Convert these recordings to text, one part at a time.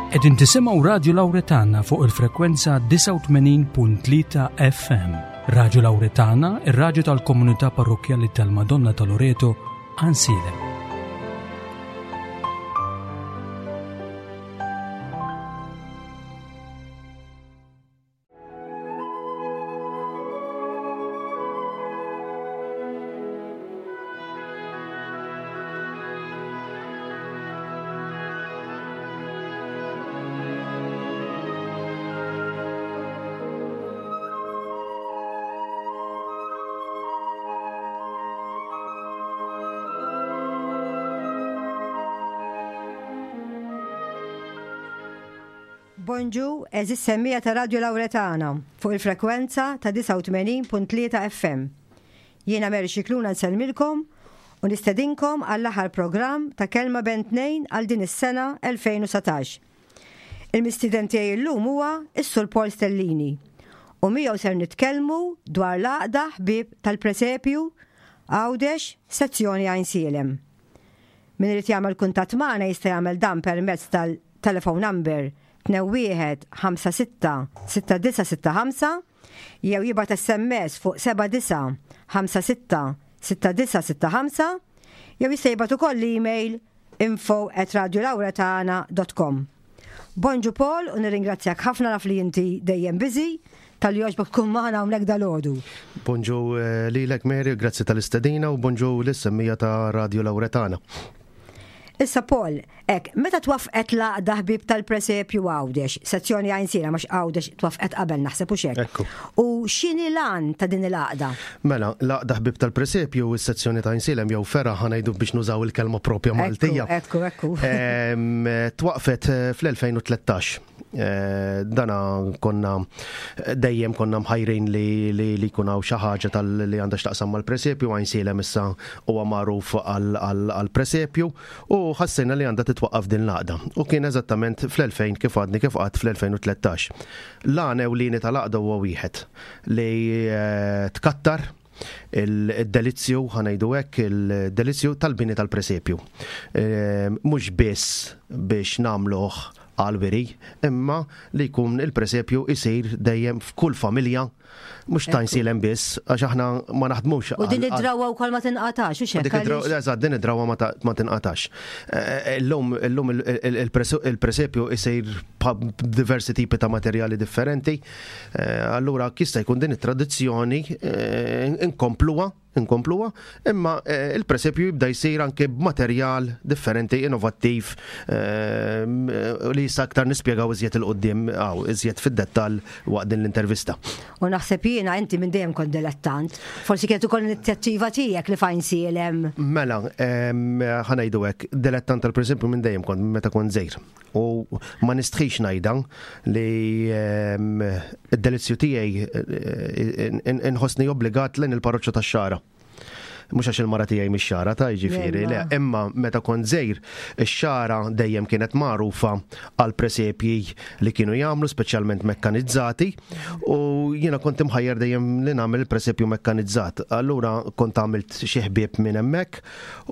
Qegħdin tisimgħu Radju Lawretana fuq il-frekwenza 89.3 FM. Radju Lawretana, ir-radju tal-komunità parrokkjali tal-Madonna ta' Loreto, Għansielem. Bonġu, għeżież semmiegħa ta' Radju Lawretana fuq il-frekwenza ta' 89.3 FM. Jiena Mary Scicluna nsellmilkom u nistedinkom għall-aħħar programm ta' Kelma Bejn Tnejn għal din is-sena 2019. Il-mistieden tiegħi llum huwa s-Sur Paul Stellini u miegħu ser nitkellmu dwar l-Għaqda Ħbieb tal-Presepju Għawdex, Sezzjoni Għajnsielem. Min irid jagħmel kuntatt magħna jista' jagħmel dan permezz tal-telephone number 21 56 6965 jew jibgħat SMS fuq 79 56 6965 jew jista' jibgħat ukoll email info at radiolauretana.com. Bonġu Paul u nirringrazzjak ħafna naf li inti dejjem busy talli jogħġbok tkun magħna hawnhekk dalgħodu. Bonġu eh, lilek Mary, grazzi tal-istedina u bonġu lis-semmija ta' Radio Lauretana. Issa Paul, ek, meta twaffqet l-għaqda ħbib tal-presepju Għawdex, sezzjoni Għajnsiela mhux Għawdex twaffqet qabel naħseb u xek. U x'inhi l-għan ta' din il-għaqda? Mela, l-għaqda ħbib tal-presepju u s-sezzjoni ta' Għajnsielem jew fergħa ħa ngħidu biex nużaw il-kelma propja Maltija. Ekku, ekku. Twaqfet eh, fl-2013. Eh, dana konna dejjem konna mħajrin li li li jkun hawn xi ħaġa tal li għandha x'taqsam mal-presepju Għajnsielem issa huwa magħruf għall-presepju u ħassejna li għandha titwaqqaf din l-għaqda. U kien eżattament fl-2000 kif għadni kif għadt fl-2013. L-għan ewlieni tal-għaqda huwa wieħed li eh, tkattar il-delizzju, ħanajdu hekk, il-delizzju tal-bini tal-presepju. Eh, mhux biss biex nagħmluh għal-wiri, imma li jkun il-presepju isir dejjem f'kull familja mhux ta' nsilem biss, għax aħna ma naħdmux. U din id-drawa wkoll ma tinqatax, u xekk. Eżatt, din id-drawa ma tinqatax. Eh, illum illum il-presepju isir b'diversi tipi ta' materjali differenti. Eh, allura jista' jkun din it-tradizzjoni eh, inkompluha, inkompluha, imma eh, il-presepju jibda jsir anke b'materjal differenti, innovattiv, li jista' aktar nispjegaw iżjed il-qudiem għaw, iżjed fid-dettall waqt din l-intervista. U naħseb jiena inti minn dejjem kont dilettant. Forsi kienet ukoll inizjattiva tiegħek li fajn sielem. Mela, ħanajdu hekk, dilettant tal-presepju minn dejjem kont meta kont żgħir. U ma nistħix ngħidha li ehm, id-delizzju tiegħi eh, inħossni obbligat lejn il-parroċċa tax-xara. Mhux għax il-mara tiegħi mix-xara ta' jiġifieri, le, imma meta kont żgħir, ix-xara dejjem kienet magħrufa għal presepji li kienu jagħmlu speċjalment mekkanizzati u jiena kont imħajjar dejjem li nagħmel il-presepju mekkanizzat. Allura kont għamilt xi ħbieb minn hemmhekk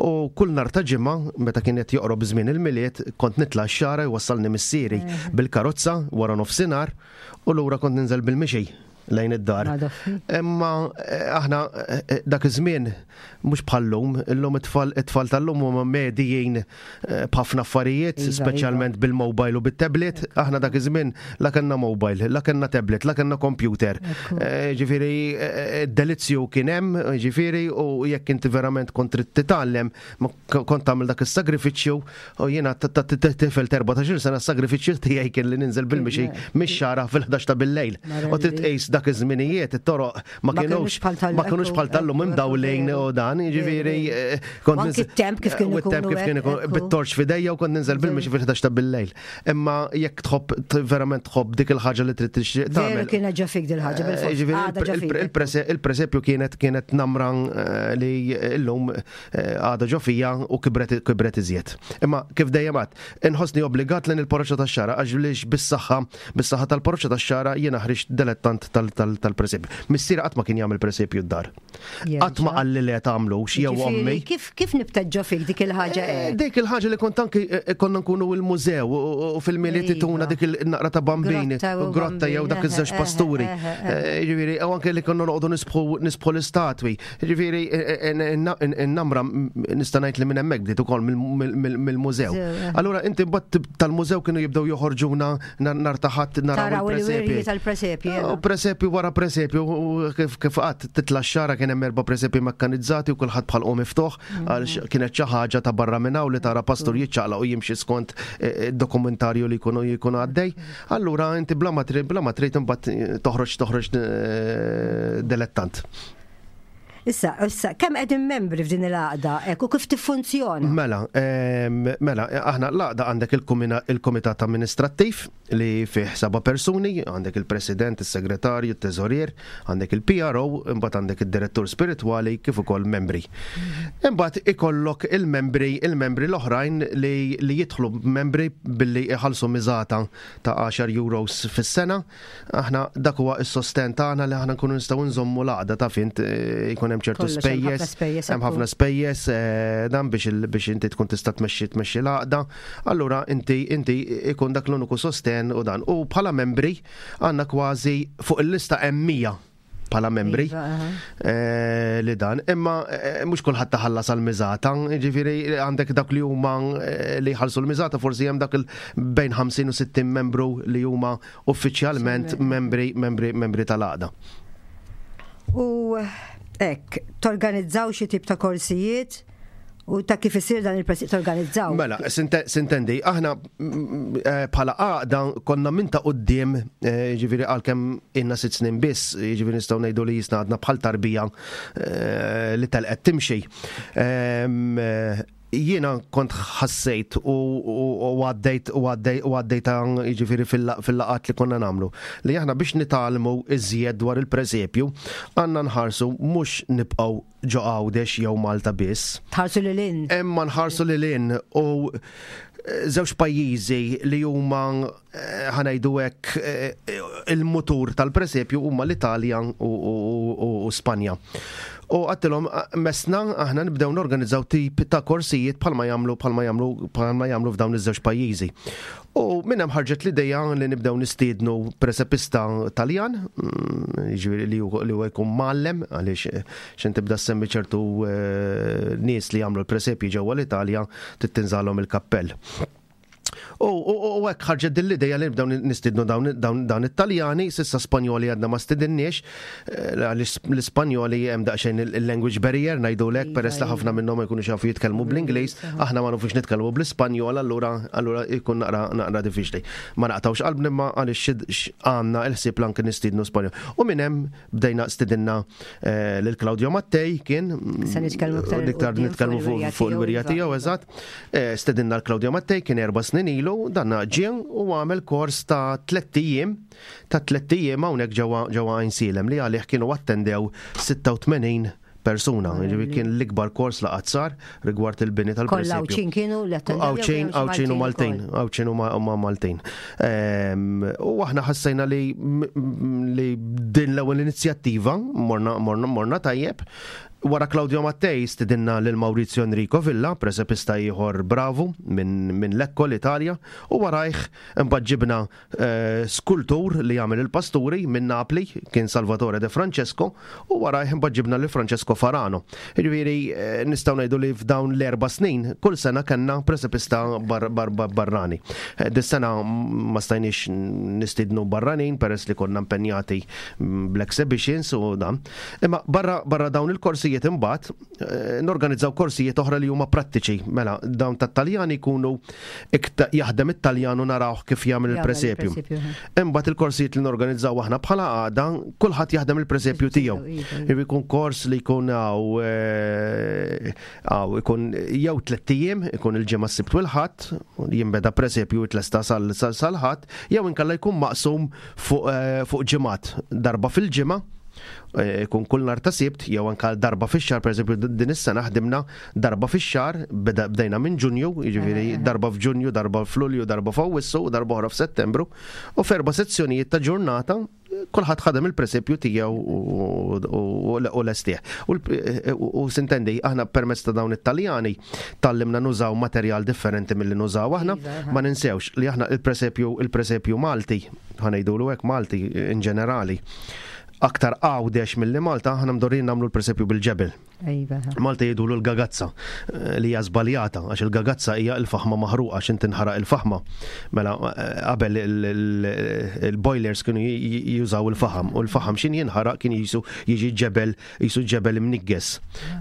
U kull nhar ta' Ġimgħa, meta kien qed joqrob żmien il-Milied, kont nitla' x-Xagħra jwassalni missieri bil-karozza wara nofsinhar u lura kont ninżel bil-mixi lejn id-dar. Imma eh, aħna eh, eh, dak iż-żmien mhux bħal-lum, illum it-tfal it-tfal tal-lum huma medijin b'ħafna affarijiet, iva, speċjalment iva. bil-mobile u bit-tablet. Aħna dak iż-żmien la kellna mobile, la kellna tablet, la kellna computer. Eh, ġifieri eh, delizzju kien hemm, ġifieri u jekk inti verament kont trid titgħallem, kont tagħmel dak is-sagrifiċċju u jiena tifel 14 sena s-sagrifiċċju tiegħi kien li ninżel bil-mixi mix-xara fil-11 ta' bil-lejl. U trid tqis dak iż-żminijiet it-toroq ma kienux ma kienux bħal tal-lum imdawlin u dan, jiġifieri eh, kont Anki t-temp kif kien ikun. kif kien ikun bit-torċ fidejja u kont ninżel bil-mixi fil-11 ta' bil-lejl. Imma jekk tħobb verament tħobb dik il-ħaġa li trid tixtieq tagħmel. Kienet ġo fik dil-ħaġa eh, bil-fors. Il-presepju kienet kienet namra eh, li llum għadha ġo fija u kibret kibret iżjed. Imma kif dejjem għad, inħossni obbligat lejn il-parroċċa tax-Xagħra għax bis-saħħa bis-saħħa tal-parroċċa tax-Xagħra jiena ħriġt dilettant tal. tal-presepju. Missieri qatt ma kien jagħmel presepju d-dar. Qatt ma qalli le tagħmlux jew ommi. Kif kif nibtet ġo fik dik il-ħaġa eh, eh? Dik il-ħaġa li kont anki eh, konna nkunu il-mużew u fil-miliet tuna dik il-naqra ta' bambini, grotta jew dak iż-żewġ pasturi. Ġifieri, u anke li konna noqogħdu nisbħu l-istatwi. Ġifieri, in-namra nista' ngħid li minn hemmhekk bdiet ukoll mill-mużew. Allura inti mbagħad tal-mużew kienu jibdew joħorġuna nar ta' ħadd naraw il-presepji. tal-presepji. U presepju wara presepju kif kif qatt titla' x-xara kien hemm erba' presepji mekkanizzati u kulħadd bħal miftuħ mm. għaliex kienet xi ħaġa ta' barra minn hawn li tara pastur jiċċaqlaq u jimxi skont eh, eh, dokumentarju li jkunu jkunu għaddej. Allura inti bla ma trid bla ma trid imbagħad eh, toħroġ toħroġ dilettant. Issa, issa, kemm qegħdin membri f'din il-għaqda hekk u kif tiffunzjona? Mela, mela, aħna l-għaqda għandek il-Kumitat Amministrattiv li fih seba' persuni, għandek il-President, is-Segretarju, it-Teżorier, għandek il-PRO, imbagħad għandek id-Direttur Spiritwali kif ukoll membri. Imbagħad ikollok il-membri, il-membri l-oħrajn li, li jidħlu membri billi iħallsu miżata ta' 10 euros fis-sena. Aħna dak huwa s-sosten tagħna li aħna nkunu nistgħu nżommu l-għaqda taf int eh, jkun hemm ċertu spejjeż, hemm ħafna spejjeż eh, dan biex biex inti tkun tista' tmexxi tmexxi l-għaqda. Allura inti inti ikun dak l-uniku sosten u dan. U bħala membri għandna kważi fuq il-lista hemm 100 bħala membri iva, eh, li dan. Imma eh, mhux kulħadd taħallas għal miżata, jiġifieri għandek dak li huma eh, li jħallsu l-miżata forsi hemm dak bejn 50 u 60 membru li huma uffiċjalment membri membri membri tal-għaqda. U hekk, torganizzaw xi tip ta' korsijiet U ta' kif isir dan il-presiq torganizzaw? Mela, sintendi, aħna mm, eh, bħala għaqda konna minn ta' qoddim, eh, ġifiri għalkemm inna sitt snin biss, ġifiri nistgħu ngħidu li jisna għadna bħal tarbija eh, li telqet timxi. Ehm, jiena kont ħassejt u għaddejt u għaddejt u għaddejt jiġifieri fil-laqat li konna nagħmlu li aħna biex nitgħallmu iżjed dwar il-presepju għandna nħarsu mhux nibqgħu ġo Għawdex jew Malta biss. Tħarsu lil hinn. Imma nħarsu lil hinn u eh, żewġ pajjiżi li huma eh, ħanajdu hekk eh, il-mutur tal-presepju huma l-Italja u Spanja. U għattilhom mesna aħna nibdew norganizzaw tip ta' korsijiet bħalma jagħmlu bħalma jagħmlu bħalma jagħmlu f'dawn iż-żewġ pajjiżi. U minn hemm ħarġet l-idea li nibdew nistiednu presepista Taljan, mm, jiġifieri li huwa jkun mgħallem għaliex eh, xejn tibda semmi ċertu eh, nies li jagħmlu l-presepji ġewwa l-Italja tittinżalhom il-kappell. U hekk ħarġet din l-idea li nibdew nistiednu dawn it-Taljani, sissa Spanjoli għadna ma stidinniex, eh, l-Ispanjoli hemm daqsxejn il-language barrier ngħidulek iva, peress li ħafna iva. minnhom ma jkunux jafu jitkellmu bl-Ingliż, aħna ma nafux nitkellmu bl-Ispanjol, allura allura jkun naqra naqra diffiċli. Ma naqtawx qalbna imma għaliex għandna l-ħsieb anke nistiednu Spanjol. U minn hemm bdejna stidinna eh, lil Claudio Mattei kien Se nitkellmu iktar nitkellmu fuq il-wirja iva, tiegħu eżatt. Eh, stedinna l-Claudio Mattei kien erba' snin ilu, dan ġie u għamel kors ta' tlett ijiem ta' tlett ijiem hawnhekk ġewwa ġewwa Għajnsielem li għalih kienu attendew 86 persuna. Jiġifieri kien l-ikbar kors li qatt sar rigward il-bini tal-presepju. Kollha Għawdxin kienu li attendew. Għawdxin, Għawdxin u Maltin, Għawdxin u Maltin. Ehm, u aħna ħassejna li li din l-ewwel inizjattiva morna morna morna tajjeb. Wara Claudio Mattei stidinna lil Maurizio Enrico Villa, presepista ieħor bravu minn min Lecco l-Italja, u warajh imbagħad ġibna skultur li jagħmel il-pasturi minn Napli, kien Salvatore De Francesco, u warajh imbagħad ġibna lil Francesco Farano. Jiġifieri eh, nistgħu ngħidu li f'dawn l-erba' snin kull sena kellna presepista bar bar bar barrani. Eh, dis-sena ma stajniex nistiednu barranin peress li konna impenjati mm, bl-exhibitions u dan. Imma barra, barra dawn il-korsijiet imbagħad Eh, norganizzaw korsijiet oħra li huma prattiċi. Mela, dawn tat-Taljani jkunu jaħdem it-Taljan u narawh kif jagħmel il-presepju. Imbagħad il-korsijiet li norganizzaw aħna bħala għada, kulħadd jaħdem il-presepju tiegħu. Iva, iva. Jkun kors li jkun hawn eh, ikun jew tlett ijiem, ikun il-ġimgħa s-sibt u l-ħadd, jinbeda presepju jitlesta sal-ħadd, jew inkella jkun maqsum fuq eh, ġimgħat darba fil-ġimgħa Eh, ikun kull nar ta' sibt jew anka darba fix-xahar, pereżempju din is-sena ħdimna darba fix-xahar, bdejna minn Ġunju, jiġifieri eh, eh, darba f'Ġunju, darba f'Lulju, darba f'Awwissu u darba oħra f'Settembru, u f'erba' sezzjonijiet ta' ġurnata Kulħadd ħadem il-presepju tiegħu u lestih. U sintendi, aħna permezz ta' dawn it-Taljani tgħallimna nużaw materjal differenti milli nużaw aħna. Iva, ma ninsewx li aħna il-presepju il-presepju Malti, ħa ngħidulu hekk Malti in ġenerali, aktar Għawdex milli Malta, aħna mdorrijin nagħmlu l-presepju bil-ġebel. Iva. Malta jgħidulu l-gagazza eh, li hija żbaljata għax il-gagazza hija l-faħma maħruqa għax inti nħaraq il-faħma. Mela eh, qabel il-boilers kienu jużaw il-faħam u l-faħam xin jinħaraq kien jisu jiġi ġebel jisu ġebel imnigges.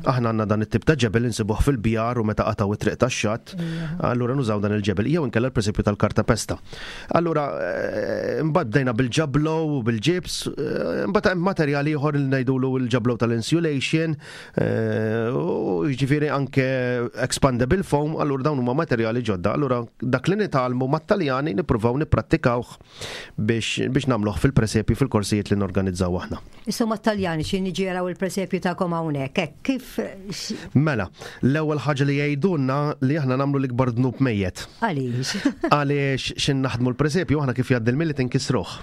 Aħna għandna dan it-tip ta' ġebel insibuh fil-bjar u meta qataw it-triq tax-xatt, allura nużaw dan il-ġebel jew inkella l-presepju tal-karta pesta. Allura eh, mbagħad bdejna bil-ġablo u bil-ġibs, eh, mbagħad hemm materjal ieħor li ngħidulu l-ġablo tal-insulation, eh, u jiġifieri anke expandable foam, allura dawn huma materjali ġodda. Allura dak li nitgħallmu mat-Taljani nippruvaw nipprattikawh biex biex nagħmluh fil-presepju fil-korsijiet li norganizzaw aħna. Issa mat-Taljani xi niġi jaraw il-presepju tagħkom hawnhekk, hekk kif Mela, l-ewwel ħaġa li jgħidulna li aħna nagħmlu l-ikbar dnub mejjet. Għaliex? Għaliex x'in naħdmu l-presepju aħna kif jgħaddi l-Milied inkissruh.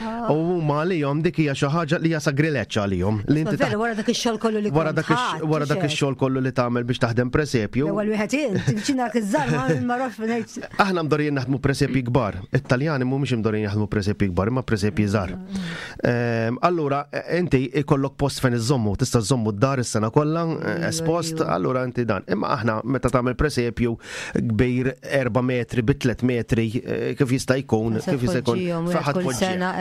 Ah. U huma għalihom dik hija xi ħaġa li hija sagrileġġ għalihom. Li inti Vera wara dak ix-xogħol kollu li wara dak wara dak ix-xogħol kollu li tagħmel biex taħdem presepju. L-ewwel wieħed int, ċina iż-żar ma rafx ngħid. Aħna mdorrijin naħdmu presepji kbar. It-Taljani mhumiex imdorrijin jaħdmu presepji kbar, imma presepji żgħar. Allura, inti ikollok post fejn iżommu, tista' żommu d-dar is-sena kollha eh, espost, allura inti dan. Imma aħna meta tagħmel presepju kbir 4 metri bi 3 metri eh, kif jista' jkun, kif jista' jkun.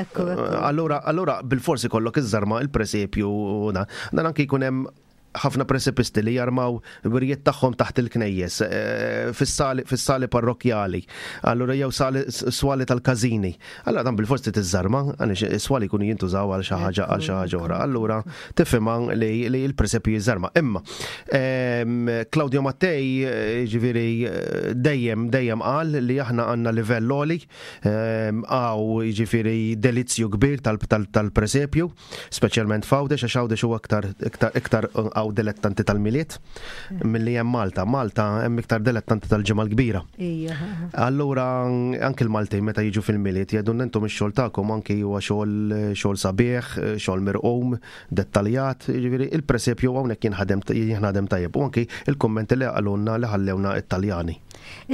Eh, allura, allura bil-forsi kollok iż-żarma il-presepju dan. Dan anki jkun hemm ħafna presepisti li jarmaw wirjiet tagħhom taħt il-knejjes, eh, fis-sali parrokkjali, allura jew swali tal-każini. Allura dan bil-forsi tiżżarma, għaliex is-swali jkunu jintużaw għal xi ħaġa għal xi ħaġa oħra. Allura tifhimha li l-presepju jiżżarma. Imma ehm, Claudio Mattei eh, ġifieri eh, dejjem dejjem qal li aħna għandna livell għoli, ehm, għaw ġifieri delizzju kbir tal-presepju. Speċjalment f'Għawdex għax Għawdex huwa iktar iktar iktar hawn dilettanti tal-Milied milli hemm Malta. Malta hemm iktar dilettanti tal-Ġimgħa l-Kbira. Allura anke l-Maltin meta jiġu fil-Milied jgħidulna intom ix-xogħol tagħkom anke huwa xogħol xogħol sabiħ, xogħol mirqum, dettaljat, jiġifieri il-presepju hawnhekk jinħadem jinħadem tajjeb u anke il-kummenti li qalulna li ħallewna t-Taljani.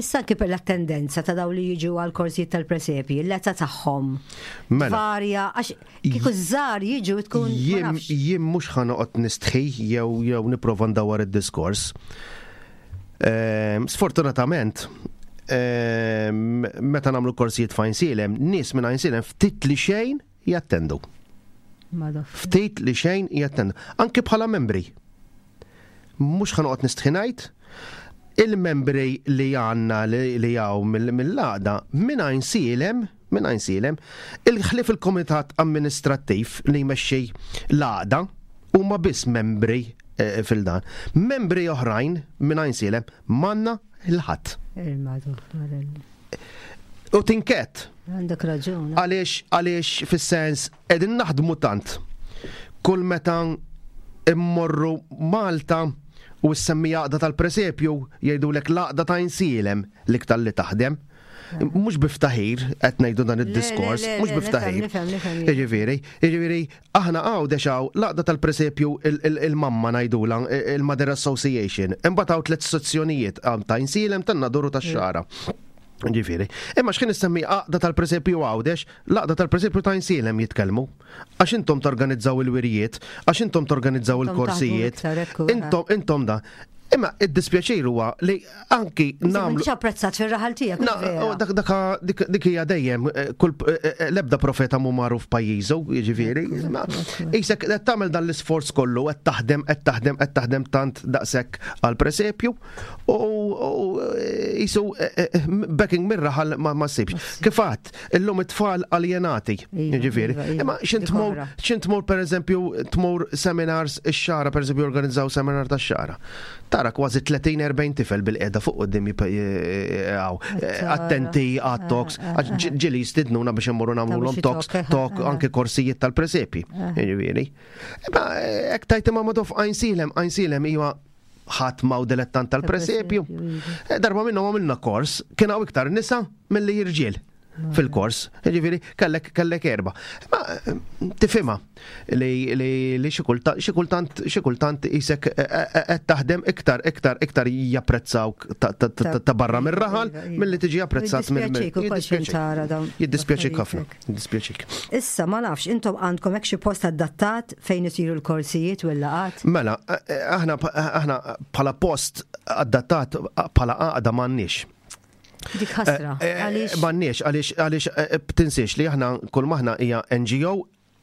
Issa anki per l-attendenza ta' dawn li jiġu għal korsijiet tal-presepji, l-età tagħhom mela. varja għax kieku żgħar jiġu tkun. Jien mhux ħa noqgħod nistħi jew jew nipprova ndawwar id-diskors. Ehm, sfortunatament, ehm, meta nagħmlu korsijiet f'Għajnsielem, nies minn Għajnsielem ftit li xejn jattendu. Ftit li xejn jattendu. Anki bħala membri. Mhux ħa noqgħod nistħi ngħid, il-membri li għandna li hawn mill-għaqda minn Għajnsielem, minn Għajnsielem, il-ħlief il-kumitat amministrattiv li jmexxi l-għaqda huma biss membri eh, fil-dan. Membri oħrajn minn Għajnsielem m'għandna il-ħadd. U tinkett. Għandek raġun. Għaliex, għaliex fis-sens qegħdin naħdmu tant. Kull meta immorru Malta u ssemmi għaqda tal-presepju jgħidulek l-għaqda ta' Insielem l-iktar li taħdem. Mhux biftaħir qed ngħidu dan id-diskors, mhux biftaħir. Jiġifieri, jiġifieri Aħna Għawdex hawn l-għaqda tal-presepju il-mamma ngħidulha, il-Mother Association. Imbagħad hawn tlett sezzjonijiet, hawn ta' Insielem, tan-Nadur u tax-Xagħra. Ġifieri. Imma x'kien issemmi għaqda tal-presepju Għawdex, l-għaqda tal-presepju ta' Insielem jitkellmu. Għax intom torganizzaw il-wirjiet, għax intom torganizzaw il-korsijiet, intom intom da. Imma id-dispjaċir huwa li anki nagħmlu. Mhux apprezzat fir-raħal tiegħek. Dak dak dik hija dejjem eh, kull eh, eh, l-ebda profeta mhu magħruf pajjiżu, jiġifieri. Isek qed tagħmel dan l-isforz kollu qed taħdem qed taħdem qed taħdem tant daqshekk għal presepju u jisu backing mir-raħal ma ssibx. Kif għadt, illum it-tfal aljenati, iva, jiġifieri. Iva, iva, Imma x'int tmur x'int tmur pereżempju tmur seminars ix-xara pereżempju organizzaw seminar tax-xara. Tara kważi 30-40 tifel bil-qiegħda fuq quddiem hawn. Attenti għat-talks, eh, eh, eh, ġieli jistidnuna biex immorru nagħmluhom talks, talk anke korsijiet tal-presepi. Jiġifieri. Imma hekk tajt imma ma tof għajnsilem, għajnsilem iwa ħadd ma dilettant tal-presepju. Iva. Darba minnhom għamilna kors, kien hawn iktar nisa milli irġiel. fil-kors. Ġifieri kellek kellek erba. Ma tifhimha li li xi kultant xi kultant isek eh, eh, eh, qed taħdem iktar iktar iktar japprezzawk ta' barra mir-raħal iva, iva. milli tiġi apprezzat mill Jiddispjaċik ħafna, jiddispjaċik. Issa ma nafx intom għandkom hekk xi post adattat fejn isiru l-korsijiet u l-laqat? Mela, aħna aħna bħala post adattat bħala għaqda m'għandniex. Dik ħasra. Eh, eh, għaliex? M'għandniex, għaliex għaliex eh, tinsiex li aħna kull maħna hija NGO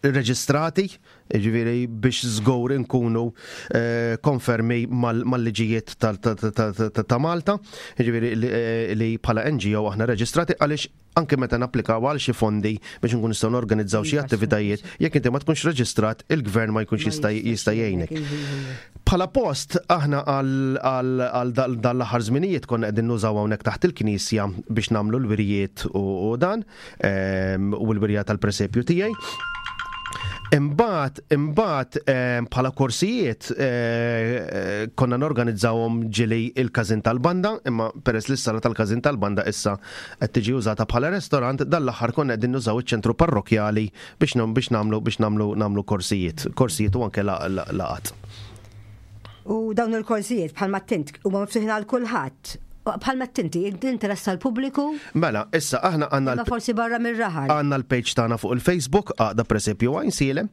reġistrati, ġifieri biex żgur inkunu konfermi mal-liġijiet ta' Malta, ġifieri li bħala NGO aħna reġistrati għaliex anke meta napplikaw għal xi fondi biex nkun nistgħu norganizzaw xi iva, attivitajiet, jekk inti ma tkunx reġistrat, il-gvern ma jkunx jista' jista' jgħinek. Iva, iva, Bħala post aħna għal dan l-aħħar żminijiet konna qegħdin nużaw hawnhekk taħt il-knisja biex nagħmlu l-wirjiet u dan ehm, u l-wirja tal-presepju tiegħi. Imbagħad, imbagħad ehm, bħala korsijiet eh, eh, konna norganizzawhom ġili il-każin tal-banda, imma peress li s-sala tal-każin tal-banda issa qed tiġi użata bħala restorant, dan l-aħħar konna qegħdin nużaw iċ-ċentru parrokkjali biex biex nagħmlu biex nagħmlu nagħmlu korsijiet, korsijiet u anke laqat. U dawn il-korsijiet bħalma tint huma miftuħin għal kulħadd. Bħalma tinti, interess tal-pubbliku? Mela, issa aħna għandna. Forsi barra mir-raħal. Għandna l-page tagħna fuq il-Facebook, għaqda presepju Għajnsielem,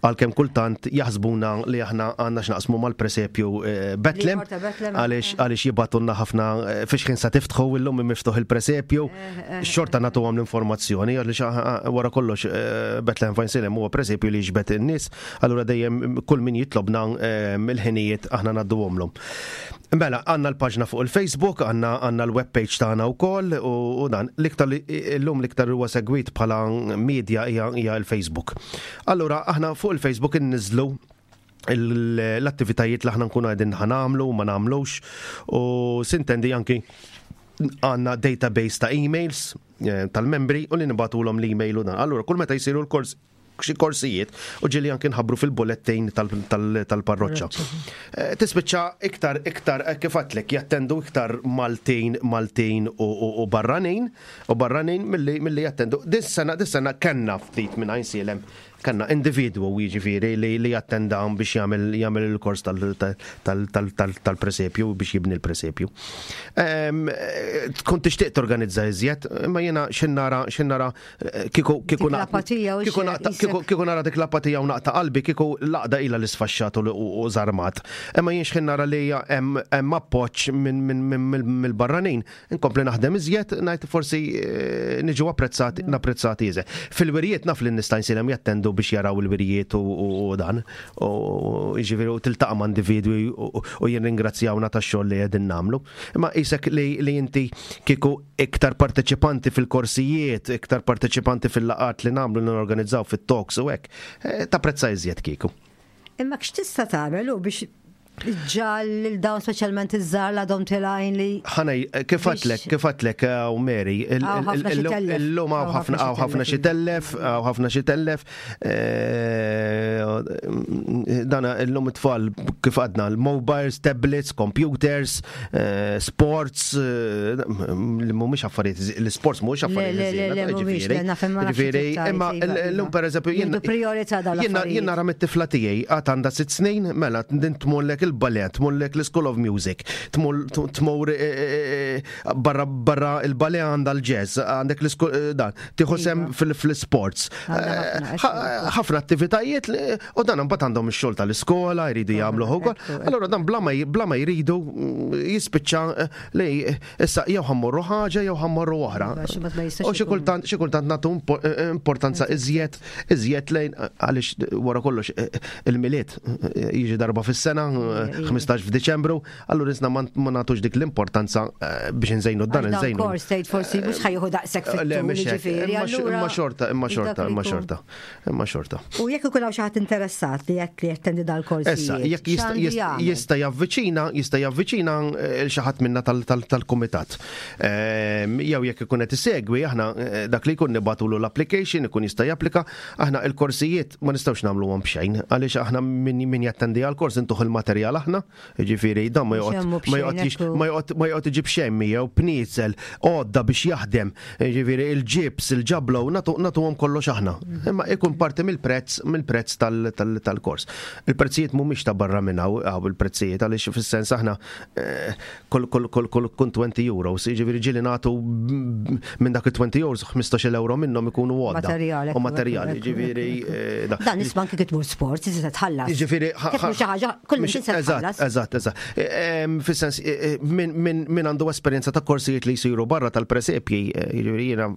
għalkemm kultant jaħsbuna li aħna għandna x'naqsmu mal-presepju eh, Betlem, għaliex eh. għaliex jibatunna ħafna eh, fiex ħin sa tiftħu illum miftuħ il-presepju, eh, xorta nagħtuhom l-informazzjoni għaliex wara kollox Bethlehem Fajnsilem huwa presepju li jiġbed in-nies, allura dejjem kull min jitlobna il-ħinijiet aħna ngħadduhomlhom. Mela, għandna l-paġna fuq il-Facebook, għandna għandna l-web page tagħna wkoll u dan l-iktar illum l-iktar huwa segwit bħala media hija l-Facebook. Allura aħna fuq il-Facebook inniżlu l-attivitajiet li aħna nkunu qegħdin ħanamlu u ma nagħmlux u sintendi anki għandna database ta' emails eh, tal-membri u li nibatulhom l-email u dan. Allura kull meta jsiru l-kors xi korsijiet u ġieli anki nħabbru fil-bulletin tal-parroċċa. Eh, tispiċċa iktar iktar eh, kif għadtlek jattendu iktar Maltin, Maltin u barranin u barranin milli jattendu. Dis-sena dis-sena kellna ftit minn Għajnsielem Kellna individwu jiġifieri li jattenda hawn biex jagħmel jagħmel il-kors tal-presepju biex jibni l-presepju. Ehm, tkun tixtieq torganizza iżjed, imma jiena x'in nara x'in nara kieku kieku kieku nara dik l-apatija u naqta' qalbi kieku l-għaqda ilha li sfaxxat u żarmat. Imma jien x'ħin nara li hemm appoġġ mill-barranin, Inkompli naħdem iżjed, ngħid forsi eh, niġu apprezzati, napprezzati iżjed. Fil-wirjiet naf li nista' nsilem jattendu biex jaraw il-wirjiet u dan. U jiġifieri u tiltaqa' ma' individwi u jirringrazzjawna tax-xogħol li qegħdin nagħmlu. Imma qisek li inti kieku iktar parteċipanti fil-korsijiet, iktar parteċipanti fil-laqgħat li nagħmlu li norganizzaw fit-talks u hekk, eh, tapprezza iżjed kieku. Imma x'tista' tagħmel u biex ġal lil dawn speċjalment iż-żgħar l għadhom tilgħin li. Ħanej, kif għadlek, kif għadlek eh, u Mary, illum hawn ħafna hawn ħafna xi tellef, hawn ħafna xi tellef. Eh, dana illum it-tfal kif għadna l-mobiles, tablets, computers, eh, sports, li mhumiex affarijiet, l-sports mhuwiex affarijiet. Ġifieri, imma llum pereżempju jien. Jien nara mit-tifla tiegħi għad għandha sitt snin, mela din tmurlek il-ballet, tmurlek l-School of Music, tmur eh, eh, eh, barra barra il-ballet għandha l-jazz, għandek l-school dan, tieħu sem iva. fil-sports. Ħafna attivitajiet u dan imbagħad għandhom ix-xogħol tal-iskola, jridu jagħmlu ukoll. Allura dan bla ma jridu mm, jispiċċa li Issa jew ħammorru ħaġa jew ħammorru oħra. Iva, u xi kultant xi kultant nagħtu eh, eh, importanza iżjed iżjed lejn eh, għaliex wara kollox il-milied jiġi darba fis-sena 15 f'Diċembru, allura isna ma nagħtux dik l-importanza biex nżejnu dan nżejnu. Kors tgħid forsi mhux ħajħu daqshekk fit-tul Imma xorta, imma xorta, imma xorta. Imma xorta. U jekk ikun hawn xi ħadd interessat li jekk li jattendi dal-kors. Issa, jekk jista' javviċina, jista' javviċina eh, il xi ħadd minna tal-kumitat. Ehm, jew jekk ikun qed isegwi, aħna eh, dak li jkun nibatulu l-application, ikun jista' japplika, aħna il-korsijiet ma nistgħux nagħmluhom b'xejn, għaliex aħna min jattendi għall-kors intuħ il-materjal. il-materjal aħna, jiġifieri dan ma joqgħod ma joqgħod ma joqgħod ma joqgħod iġib xejn miegħu, pniezel, għodda biex jaħdem, jiġifieri il-ġibs, il-ġablo, nagħtuhom kollox aħna. Imma ikun parti mill-prezz mill-prezz tal-kors. Il-prezzijiet mhumiex ta' barra minn hawn il-prezzijiet għaliex fis-sens aħna eh, kull kull kull kull kun 20 euros, jiġifieri ġieli nagħtu minn dak il-20 euros 15 euro minnhom ikunu għodda. Materjali. U materjali, jiġifieri. Eh, dan isma' anke kif tmur sport, tista' tħallas. Jiġifieri xi ħaġa kull min tista' tħallas. Eżatt, eżatt. Eh, fis-sens eh, min għandu esperjenza ta' korsijiet li jsiru barra tal-presepji, jiġifieri jiena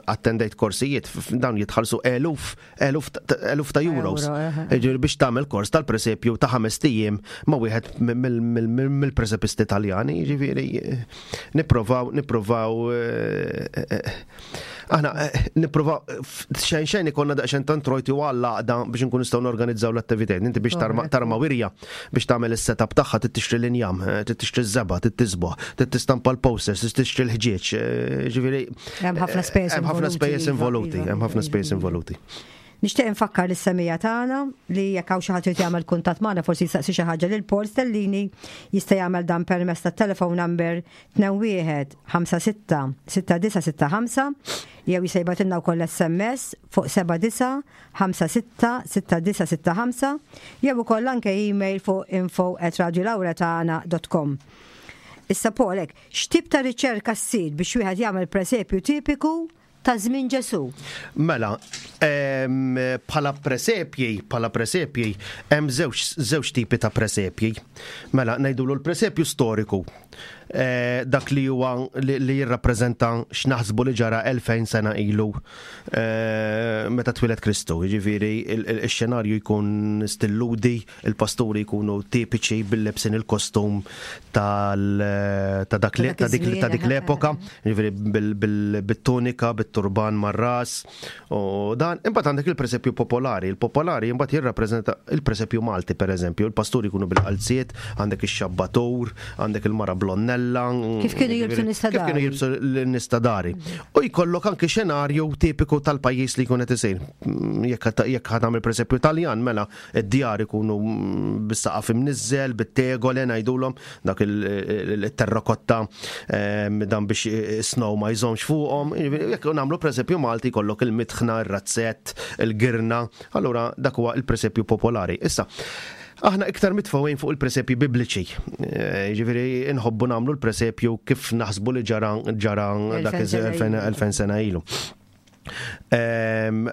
attendejt korsijiet dawn jitħallsu eluf eluf eluf ta' euros. Ġifieri biex tagħmel kors tal-presepju ta' ħames ijiem ma' wieħed mill-presepisti Taljani, ġifieri nipprovaw nipprovaw eh, eh, aħna eh, nipprovaw xejn xejn ikollna daqsxejn ta' introjti u għall-għaqda biex nkun nistgħu norganizzaw l-attivitajiet. Inti biex tarma wirja biex tagħmel is-setup tagħha trid tixtri l-injam, trid tixtri ż-żebgħa, trid tisboħ, trid tistampa l-posters, trid tixtri l-ħġieġ, ġifieri Hemm ħafna spejjeż Hemm ħafna spejjeż involuti, hemm ħafna spejjeż involuti. Nixtieq infakkar lis-semija tagħna li jekk hawn xi ħadd irid jagħmel kuntatt magħna forsi jistaqsi xi ħaġa lil Paul Stellini jista' jagħmel dan permezz tat-telephone number 21 56 6965 jew jista' jibgħatilna wkoll SMS fuq 79 56 6965 jew ukoll anke email fuq info@radiolauretana.com. Issa Paul, hekk, X'tip ta' riċerka ssir biex wieħed jagħmel presepju tipiku ta' żmien Ġesù? Mela, bħala presepji, bħala presepji, hemm żewġ żewġ tipi ta' presepji. Mela, ngħidulu l-presepju storiku. Eh, dak li huwa li jirrappreżenta x'naħsbu li ġara 2000 sena ilu eh, meta twieled Kristu. Jiġifieri x-xenarju jkun stilludi, Il-pasturi jkunu tipiċi bil-lebsin il-kostum tal ta' dak ta' dik ta' dik l-epoka, jiġifieri bit-tunika, bit-turban mar-ras u dan. Imbagħad għandek il-presepju popolari. Il-popolari imbagħad jirrappreżenta il-presepju Malti pereżempju. Il-pasturi jkunu bil-qalziet, għandek ix-xabbatur, għandek il-mara blonnella. Kif kienu jilbsu n-nies ta' Kif kienu jilbsu n-nies ta' dari. U jkollok anke xenarju tipiku tal-pajjiż li jkun qed isir. Jekk jekk ħa tagħmel presepju Taljan mela Id-djar ikunu bis-saqaf imniżżel, bit-tegole ngħidulhom, dak il-terrakotta ehm, dan biex snow ma jżomx fuqhom. Jekk nagħmlu presepju Malti jkollok il-mitħna, ir-razzett, il-girna, allura dak huwa il-presepju popolari. Issa, aħna iktar mitfgħin fuq il-presepji bibliċi. Eh, jiġifieri nħobbu nagħmlu l-presepju kif naħsbu li ġara ġara dak iż-2000 sena ilu. Ehm,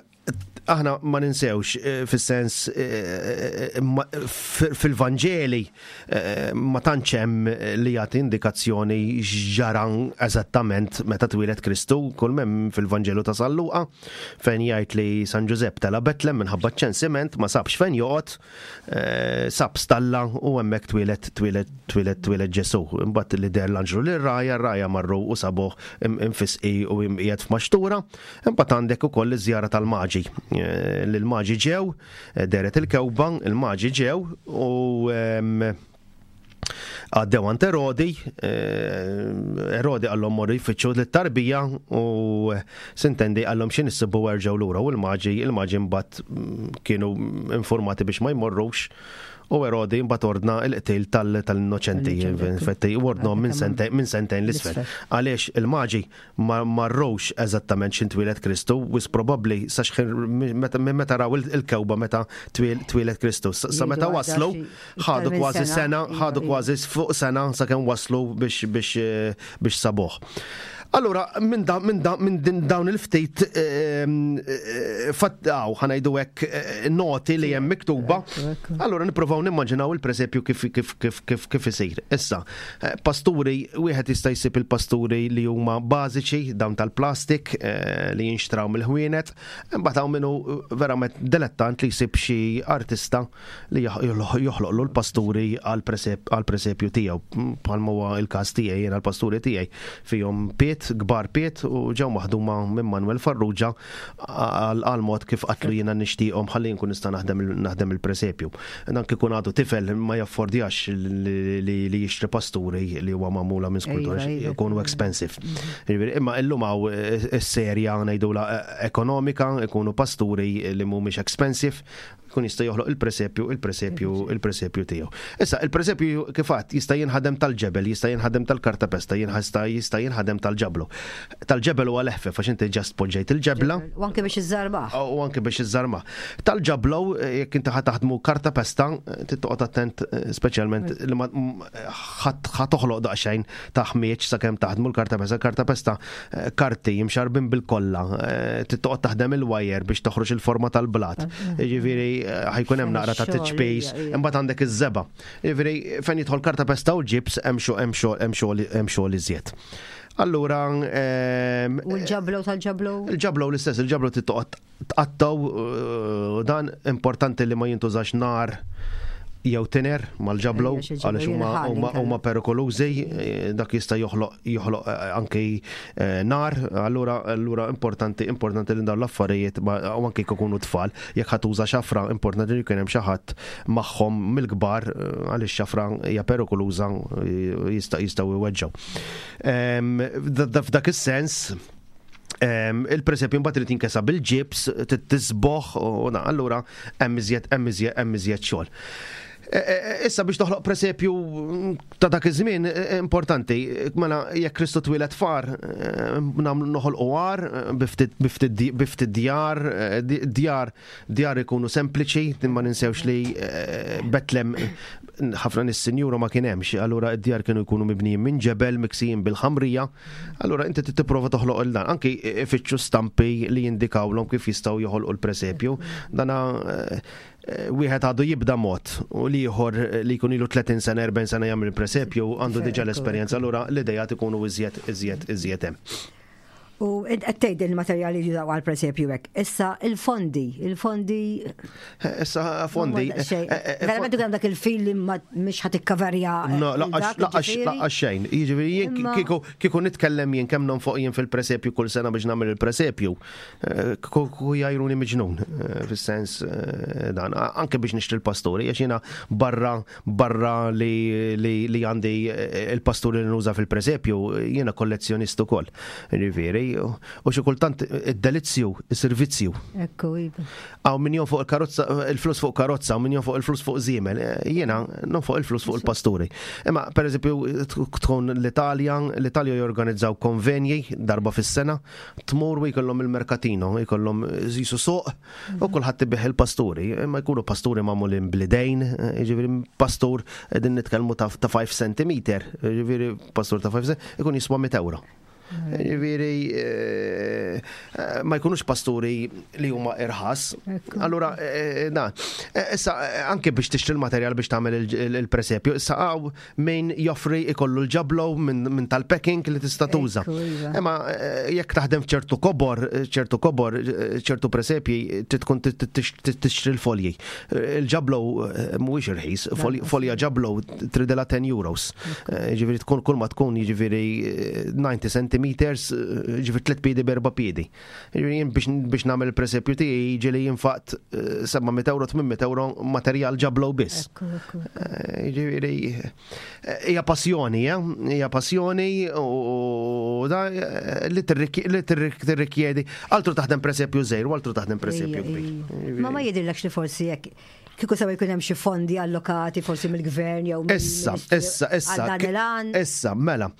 aħna ma ninsewx eh, fis-sens eh, eh, fil-Vanġeli ma tantx hemm li jagħti indikazzjoni x'ġara eżattament meta twieled Kristu, kull m'hemm fil-Vanġelu ta' San Luqa fejn jgħid li San Ġużepp tela' Betlem minħabba ċ-ċensiment ma sabx fejn joqgħod, sab stalla u hemmhekk twieled twieled twieled twieled Ġesù. Imbagħad li deher l-anġlu lir-rgħajja, r-rgħajja marru u sabuh imfisqi u imqiegħed f'maxtura. Imbagħad għandek ukoll iż-żjara tal-Maġi. Eh, li l-Maġi ġew, eh, deret il-kewba, il-Maġi ġew u ehm, għaddew għand Erodi, eh, Erodi għallhom morru jfittxu lit-tarbija u sintendi għallhom xi nissibu erġgħu lura u l-maġi, il-maġi mbagħad mm, kienu informati biex ma jmorrux u Erodi mbagħad ordna l-qtil tal-innoċenti, infetti, u ordnhom minn sentejn l-isfel. Għaliex il-maġi ma marrux eżattament x'in twieled Kristu, wisq probabbli sa x'ħin minn meta raw il-kewba meta twieled Kristu. Sa meta waslu, ħadu kważi sena, ħadu kważi fuq sena sakemm waslu biex biex biex sabuh. Allura, minn da, minn da, minn din dawn il-ftit fattaw, ħanajdu hekk noti li hemm miktuba, allura nippruvaw nimmaġinaw il-presepju kif kif kif kif kif isir. Issa, Eh, pasturi, wieħed jista' jsib il-pasturi li huma bażiċi, dawn tal-plastik eh, li jinxtraw mill-ħwienet, imbagħad hawn minnu eh, verament dilettant li jsib xi artista li joħloqlu l-pasturi għal-presepju tiegħu. Bħalma huwa il-każ tiegħi jiena l-pasturi tiegħi fihom piet, kbar piet u ġew maħduma minn Manuel Farrugia għal mod kif qatlu jiena nixtieqhom ħalli nkun nista' naħdem il-presepju. Dan kif ikun għadu tifel ma jaffordjax li jixtri pasturi li huwa magħmula minn skultur iva, iva. ikunu expensive. Mhm. Imma illum hawn eh, is-serja ngħidula eh, ekonomika ikunu pasturi li mhumiex expensive. jkun jista' joħloq il-presepju, il-presepju, il-presepju tiegħu. Issa, il-presepju kif għedt jista' jinħadem tal-ġebel, jista' jinħadem tal-kartapesta, jista' jista' jinħadem tal-ġablu. Tal-ġebel huwa l-eħfef għax inti ġast poġġejt il-ġebla. U anke biex iżżarmah. U anke biex iżżarmah. Tal-ġablu, jekk inti ħa taħdmu kartapesta, trid toqgħod attent speċjalment li ma ħa toħloq daqsxejn ta' ħmieġ sakemm taħdmu l-kartapesta. Kartapesta karti imxarbin bil-kolla, trid toqgħod taħdem il-wajer biex toħroġ il-forma tal-blat. Jiġifieri ħa jkun hemm naqra ta' tiċpis, imbagħad għandek iż-żebgħa. Jiġifieri fejn jidħol kartapesta u ġibs hemm xogħol hemm xogħol hemm xogħol iżjed. Allura. U l-ġablow tal-ġablow? Il-ġablow l-istess, il-ġablow trid toqgħod tqattgħu u dan importanti li ma jintużax nar jew tiner mal-ġablow għaliex huma huma perikolużi, dak jista' joħloq joħloq anki nar, allura allura importanti importanti li dawn l-affarijiet u anki jekk ikunu tfal, jekk ħa tuża xafra importanti li jkun hemm xi ħadd magħhom mill-kbar għaliex xafra hija perikoluża jista' jistgħu jweġġgħu. F'dak is-sens il-presepju mbagħad irid jinkesa bil-ġibs, tisboħ u allura hemm iżjed hemm iżjed hemm iżjed xogħol. E, e, e, issa biex toħloq presepju ta' dak iż-żmien importanti, mela jekk Kristu twieled far, nagħmlu noħolqu għar biftit djar, djar Djar ikunu sempliċi, ma ninsewx li eh, Betlem ħafna nies sinjura ma kien hemmx, allura d-djar kienu jkunu mibnijin minn ġebel miksijin bil-ħamrija, allura inti tipprova toħloq il dan. Anki ifittxu stampi li jindikawlhom kif jistgħu joħolqu l-presepju. Dana eh, eh, wieħed għadu jibda mod u l-ieħor li jkun ilu 30 sena, 40 sena jagħmel il-presepju għandu diġà l-esperjenza, allura l-idejat ikunu iżjed iżjed iżjed hemm. U int qed tgħid il-materjali li jużaw għall-presepju hekk. Issa il-fondi, il-fondi. Issa fondi. Eh, eh, eh, Verament ikun dak il-fil li mhix ħadd ikkaverja. No, laqax xejn. Jiġifieri jien kieku kieku nitkellem jien kemm nonfoq jien fil-presepju kull sena biex nagħmel il-presepju, kieku jgħajruni miġnun fis-sens dan. Anke biex nixtri l-pasturi, għax jiena barra Barra li, li, li għandi eh, il-pasturi li nuża fil-presepju, jiena kollezzjonist ukoll. Ġifieri, u xi kultant id-delizzju, is-servizzju. Ekku, iva. Għaw min fuq il-karozza, il-flus fuq karozza, min fuq il-flus fuq żiemel, eh, jiena fuq il-flus fuq il-pasturi. Imma pereżempju tkun l-Italja, l-Italja jorganizzaw konvenji darba fis-sena, tmur u jkollhom il-mercatino, jkollhom jisu suq, U kulħadd ibigħ il-pasturi, imma jkunu pasturi magħmulin bl-idejn, jiġifieri pastur qegħdin nitkellmu ta' 5 cm, jiġifieri pastur ta' 5 cm ikun jiswa 100 euro. Jiġifieri eh, ma jkunux pasturi li huma irħas. Allura eh, na, eh, issa anke biex tixtri l-materjal biex tagħmel il-presepju, issa hawn min joffri ikollu l-ġablow minn tal-packing li tista' tuża. Iva. Imma eh, jekk taħdem f'ċertu kobor, ċertu kobor, eh, ċertu presepji, tkun tixtri l-folji. Eh, il-ġablow mhuwiex irħis, folja ġablow tridela 10 euros. Ġifieri tkun kull ma tkun jiġifieri 90 centimeters, ġifieri 3 piedi b'erba' piedi. Jien biex nagħmel il-presepju tiegħi jiġi li jinfaqt 700 eh, euro, 800 euro materjal ġablow biss. Eh, jiġifieri eh, hija passjoni, hija passjoni u da li tirrikjedi altru taħdem presepju żgħir u altru taħdem presepju kbir. Ma ma jidhirlekx li forsi jekk kieku sewa jkun hemm xi fondi allokati forsi mill-gvern jew Issa, issa, issa. Issa, mela.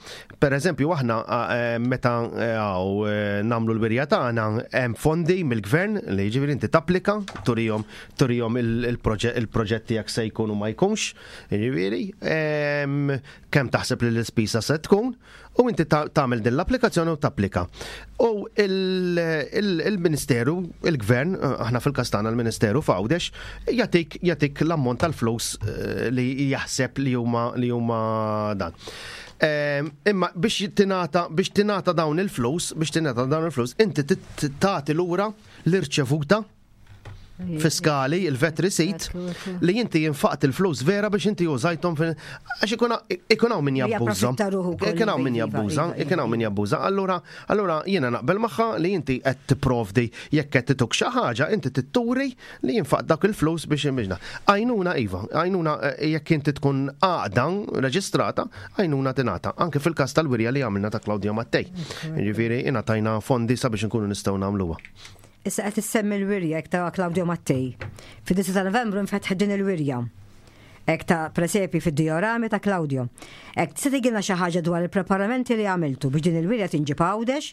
Per eżempju, aħna eh, meta eh, eh, nagħmlu l-wirja tagħna hemm fondi mill-gvern li jiġifieri inti tapplika turihom turihom il-proġett tiegħek se jkun u ma jkunx, jiġifieri, ehm, kemm taħseb li l-ispisa se tkun U inti tagħmel din l-applikazzjoni u tapplika. U il-Ministeru, il-Gvern, aħna fil-każ tagħna l-Ministeru f'Għawdex, jagħtik jagħtik l-ammont tal-flus eh, li jaħseb li huma li huma dan. Ehm, imma biex tingħata biex tingħata dawn il-flus, biex tingħata dawn il-flus, inti tagħti lura l-irċevuta fiskali, il-vet receipt, li inti jinfaqt il-flus vera biex inti użajthom għax ikun hawn min jabbuża. Ikun hawn min jabbuża, ikun hawn min jabbuża. Allura, allura jiena naqbel magħha li inti qed tipprovdi jekk qed tituk xi ħaġa, inti titturi li jinfaqt dak il-flus biex imbiġna. Għajnuna iva, għajnuna eh, jekk inti tkun għaqda reġistrata, għajnuna tingħata. Anke fil-każ tal-wirja li għamilna ta' Claudia Mattei. Jiġifieri ingħatajna fondi sabiex inkunu nistgħu nagħmluha. Issa qed issemmi l-wirja hekk ta' Claudio Mattei. Fid-9 ta' Novembru nfetħet din il-wirja. Hekk ta' presepi fid-diorami ta' Claudio. Hekk tista' tgħidilna xi ħaġa dwar il-preparamenti li għamiltu biex din il-wirja tinġib Għawdex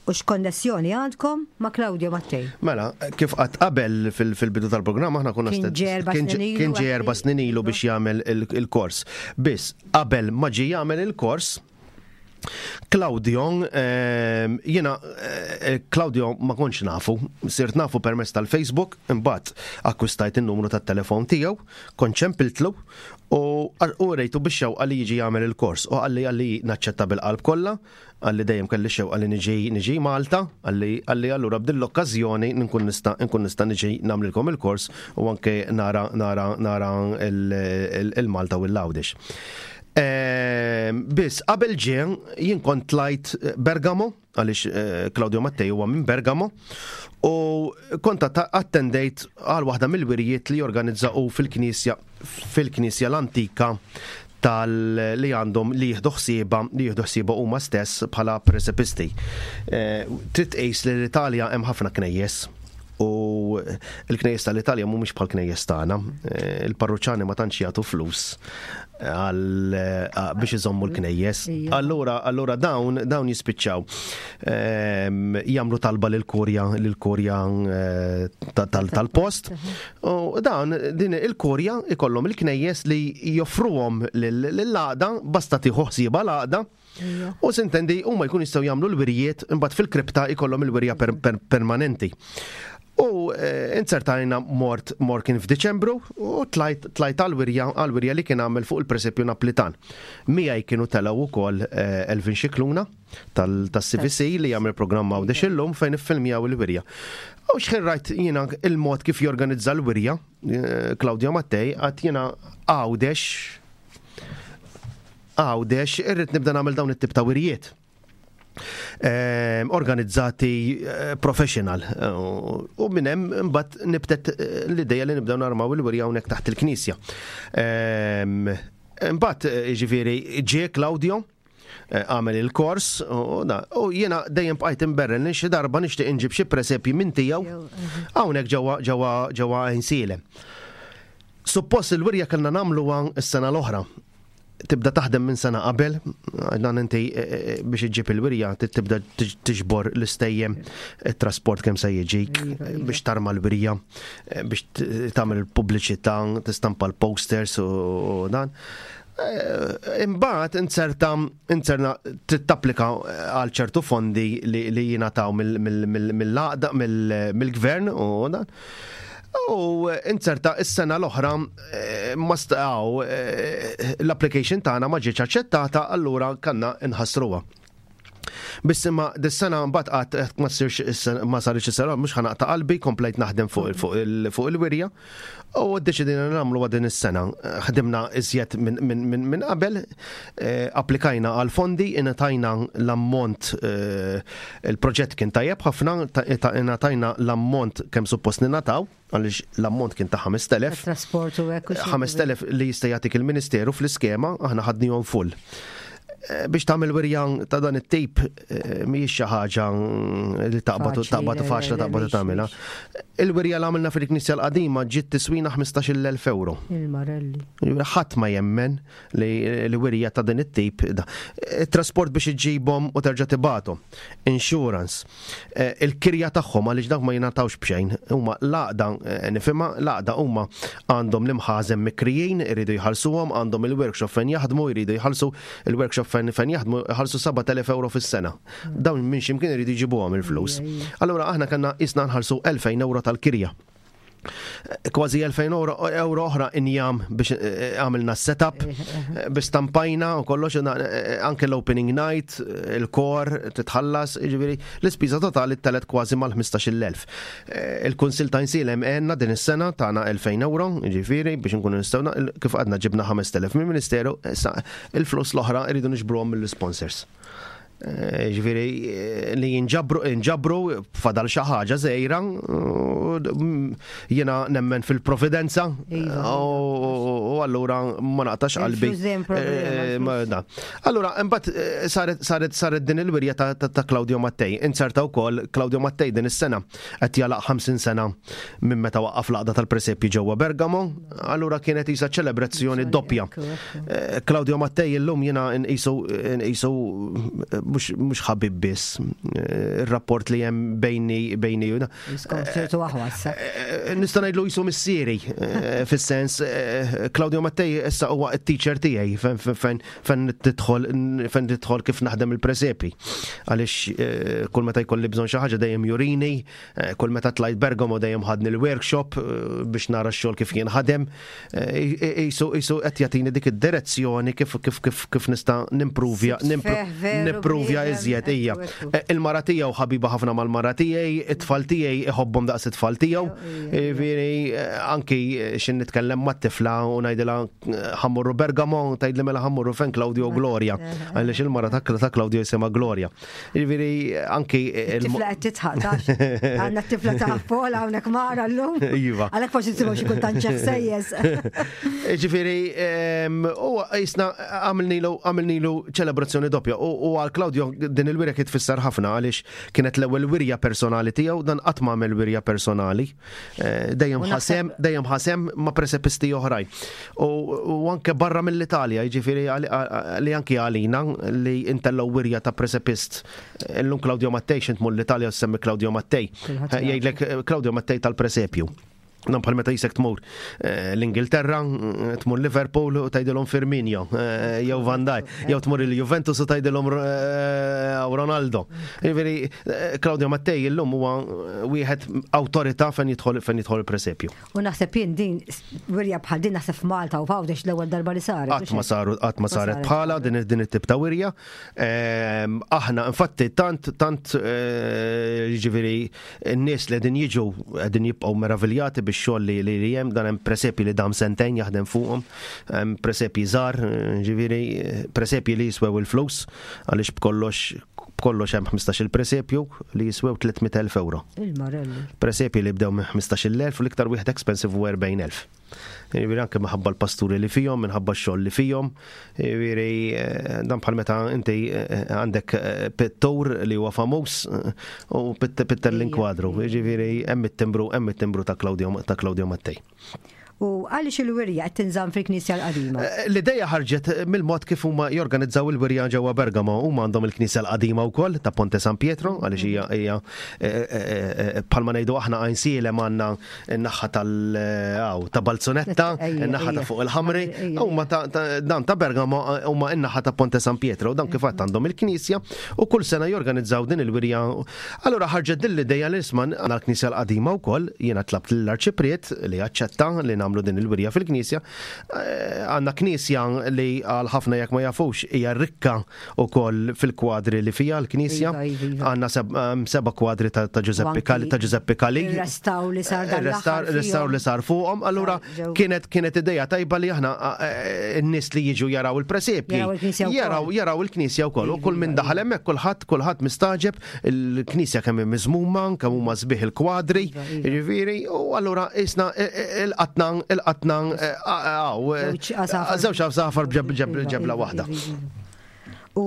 u x'konnessjoni għandkom ma' Claudio Mattei? Mela, kif qatt qabel fil-bidu tal-programm aħna konna Kien ġie erba' snin ilu. Kien ġie erba' snin ilu biex jagħmel il-kors. Biss qabel ma ġie jagħmel il-kors, Claudio, ehm, jiena eh, Claudio ma kontx nafu, sirt nafu permezz tal-Facebook, imbagħad akkwistajt in-numru tat-telefon tiegħu, kont ċempiltlu u rejtu biex xewqa li jiġi jagħmel il-kors u qalli qalli naċċetta bil-qalb kollha, qalli dejjem kelli xewqa li niġi niġi Malta, qalli qalli allura b'din l-okkażjoni nkun nista' nkun nista' niġi nagħmlilkom il-kors u anke nara nara nara il-Malta u l-Għawdex. Ehm, biss, qabel ġie, jien kont tlajt eh, Bergamo, għaliex eh, Claudio Mattei huwa minn Bergamo, u kont attendejt għal waħda mill-wirjiet li jorganizza u fil-knisja fil-knisja l-antika tal li għandhom li jieħdu ħsieba li jieħdu ħsieba huma stess bħala presepisti. Eh, trid tqis li l-Italja hemm ħafna knejjes U l-knejjes tal-Italja mhumiex bħal knejjes tagħna. Eh, il-parruċani ma tantx jagħtu flus għal eh, biex iżommu l-knejjes. Allura allura dawn dawn jispiċċaw ehm, jagħmlu talba lil kurja lil kurja eh, tal-post. U dawn din il-kurja ikollhom il-knejjes li joffruhom lill-għaqda basta tieħu ħsieba l-għaqda. U sintendi huma jkun jistgħu jagħmlu l-wirjiet imbagħad fil-kripta jkollhom il-wirja permanenti. U eh, inzertajna mort mort kien f'Diċembru u tlajt tlajt għal-wirja għal-wirja li kien għamel fuq il-presepju Naplitan. Miegħi kienu telgħu wkoll eh, Elvin Xikluna tal-CVC li jagħmel programm Għawdex illum fejn iffilmjaw il-wirja. U xħin rajt jiena il-mod kif jorganizza l-wirja, eh, Claudio Mattei, għat jiena Għawdex Għawdex irrid nibda nagħmel dawn it-tip ta' wirjiet. Ehm, organizzati eh, professional. U minn hemm imbagħad nibtet eh, l-idea li nibdew narmaw il-wirja hawnhekk taħt il-knisja. Ehm, imbagħad eh, jiġifieri ġie Claudio għamel il-kors u jiena dejjem bqajt imberren li xi darba nixtieq inġib xi presepji minn tiegħu hawnhekk ġewwa ġewwa ġewwa Għajnsielem. Suppost il-wirja kellna nagħmluha s-sena l-oħra. Tibda taħdem minn sena qabel, dan inti eh, eh, eh, biex iġġib il-wirja tibda tiġbor l-istejjem, it-trasport kemm se jiġik, iva, iva. biex tarma l-wirja, biex tagħmel il-pubbliċità, tistampa l-posters u dan. Imbagħad inzerta inzerna trid tapplika għal ċertu fondi li jingħataw mill-għaqda mill-gvern u dan. U inzerta is-sena l-oħra eh, ma staqgħu eh, l-application tagħna ma ġietx aċċettata, allura kanna nħassruha. Biss imma dis-sena mbagħad qatt ma ssirx ma saritx is-sena mhux ħanaqta' qalbi, komplejt naħdem fuq il-wirja u ddeċidejna nagħmlu din is-sena. Ħdimna iżjed minn qabel, eh, applikajna għal fondi, ingħatajna l-ammont eh, il-proġett kien tajjeb ħafna, ingħatajna l-ammont kemm suppost ningħataw għaliex l-ammont kien ta' 5,000. Trasport u hekk. 5,000 li jista' jagħtik il-Ministeru fl-iskema, aħna ħadnihom full. Eh, biex tagħmel wirja ta' dan it-tip eh, mhijiex xi ħaġa li taqbad taqbad faċla taqbad tagħmilha. Il-wirja li għamilna fil-Knisja l-qadima ġiet tiswina 15,000 euro. Il-Marelli. Ħadd ma jemmen li wirja ta' din it-tip. Trasport biex iġibhom u terġa' tibgħathom. Insurance. Eh, il-kirja tagħhom għaliex dawk ma jingħatawx b'xejn. Huma l-għaqda eh, nifhimha, l-għaqda huma għandhom l-imħażen mikrijin, iridu jħallsuhom, għandhom il-workshop fejn jaħdmu, jridu jħallsu il-workshop fejn fejn jaħdmu jħallsu 7000 euro fis-sena. Dawn minn x'imkien iridu jġibuhom il-flus. Allura aħna kellna isna nħallsu 2000 euro tal-kirja kważi 2000 euro, euro oħra injam biex eh, eh, għamilna setup, eh, biex stampajna u kollox, anke l-opening night, il-kor, titħallas, ġifieri, l-ispiża totali telet kważi mal-15,000. Il-Kunsil ta' Insilem għenna din is-sena tagħna 2000 euro, ġifieri, biex nkunu nistgħu kif għadna ġibna 5000 mill-Ministeru, issa il-flus l-oħra rridu niġbruhom mill-sponsors. Eh, ġifieri eh, li jinġabru inġabru fadal xi ħaġa żgħira mm, jiena nemmen fil-providenza Iva. u allura ma naqtax qalbi. Il-flus dejjem problema, Eh, ma da. Allura imbagħad eh, saret saret saret din il-wirja ta' ta' ta' Claudio Mattei. Inzerta wkoll Claudio Mattei din is-sena qed jalaq 50 sena minn meta waqqaf l-għaqda tal-presepji ġewwa Bergamo, allura kienet isa ċelebrazzjoni doppja. Eh, Claudio Mattei illum jiena nqisu nqisu eh, mhux ħabib biss eh, ir-rapport li hemm bejni bejni u Ċertu aħwa issa. Nista' ngħidlu jisu missieri fis-sens Claudio Mattei issa huwa t-teacher tiegħi fejn fejn tidħol fejn tidħol kif naħdem il-presepi. Għaliex kull meta jkolli bżonn xi ħaġa dejjem jurini, Eh, kull meta tlajt Bergamo dejjem ħadni l-workshop eh, biex nara x-xogħol kif jinħadem. Eh, isu isu qed jagħtini dik id-direzzjoni kif kif kif kif nista' nimpruvja nimpruvja iżjed hija. Il-mara tiegħu ħabiba ħafna mal-mara tiegħi, it-tfal tiegħi iħobbhom daqs it-tfal tiegħu. Jiġifieri anki x'in nitkellem mat-tifla u ngħidilha ħammurru Bergamo, tgħidli mela ħammurru fejn Claudio Gloria. Għaliex il-mara ta' Claudio jisimha Gloria. Jiġifieri anki Tifla qed titħaq tax. Għandna t-tifla ta' Pola hawnhekk mara llum. Iva. Għalhekk forsi tisimgħu xi kultant ċeħsejjes. Jiġifieri u jisna għamilnilu għamilnilu ċelebrazzjoni doppja u għal Claudio din il-wirja kien tfisser ħafna għaliex kienet l-ewwel wirja personali tiegħu dan qatt ma għamel wirja personali. Eh, dejjem ħasem, dejjem ħasem ma' presepisti oħrajn. U anke barra mill-Italja, jiġifieri li anki għalina li intellgħu wirja ta' presepist. Illum Claudio Mattei xint tmur l-Italja u semmi Claudio Mattei. Eh, jgħidlek eh, Claudio Mattei tal-presepju. Nam bħal meta jisek tmur l-Ingilterra, tmur Liverpool u tgħidilhom Firmino, jew Van Dijk, jew tmur il-Juventus u tgħidilhom Ronaldo. Jiġifieri Claudio Mattei illum huwa wieħed awtorità fejn jidħol fejn jidħol il-presepju. U naħseb jien din wirja bħal din naħseb f'Malta u f'Għawdex l-ewwel darba li saret. Qatt ma saru qatt ma saret bħala din din it-tip ta' wirja. Ehm, aħna infatti tant tant eh, jiġifieri n-nies li qegħdin jiġu qegħdin jibqgħu meraviljati bix-xogħol li li hemm dan hemm presepji li dam sentejn jaħdem fuqhom, hemm presepji żgħar, jiġifieri presepji li jiswew il-flus għaliex b'kollox B'kollox hemm 15-il presepju li jiswew 300,000 ewro. Il-marelli. Presepji li bdew minn 15,000 u l-iktar wieħed expensive huwa 40,000. Jiġifieri anke minħabba l-pasturi li fihom, minħabba x-xogħol li fihom. Jiġifieri eh, dan bħal meta inti eh, għandek eh, pittur li huwa famuż u pitter l-inkwadru. Jiġifieri hemm it-timbru hemm it-timbru ta' Claudio ta' Claudio Mattei. U għaliex il-wirja qed tinżamm fil-Knisja l-Qadima? Eh, l-ideja ħarġet mill-mod kif huma jorganizzaw il-wirja ġewwa Bergamo. Huma għandhom il-Knisja l-Qadima wkoll ta' Ponte San Pietro, għaliex hija hija eh, eh, bħalma ngħidu aħna Għajnsielem għandna n-naħa tal ta' Balzunetta, n-naħa ta' fuq il-Ħamri, huma dan ta' Bergamo huma n-naħa ta' Ponte San Pietro, dan kif għandhom il-Knisja u kull sena jorganizzaw din il-wirja Allura ħarġet din l-ideja li isma' għandna l-knisja l-qadima wkoll, jiena tlabt lill-Arċipriet li aċċetta li nagħmlu din il-wirja fil-knisja. Eh, għandna knisja li għal ħafna jekk ma jafux hija rikka wkoll fil-kwadri li fiha l-knisja. Iva, iva, iva. Għandna ehm, seba' kwadri ta' Giuseppe Cali ta' Giuseppe Cali. Restaw li sar dan l-aħħar. Restaw li sar fuqhom. Allura kienet kienet ideja tajba li aħna eh, n-nies li jiġu jaraw il-presepji. Jaraw jaraw il-knisja wkoll. U kull min daħal hemmhekk kulħadd kulħadd mistaġeb il-knisja kemm hi miżmuma, kemm huma sbieħ il-kwadri, Iva, iva. jiġifieri, u allura isna il-qatna il-qatna żewġ għasafar b'ġebla iva, waħda. U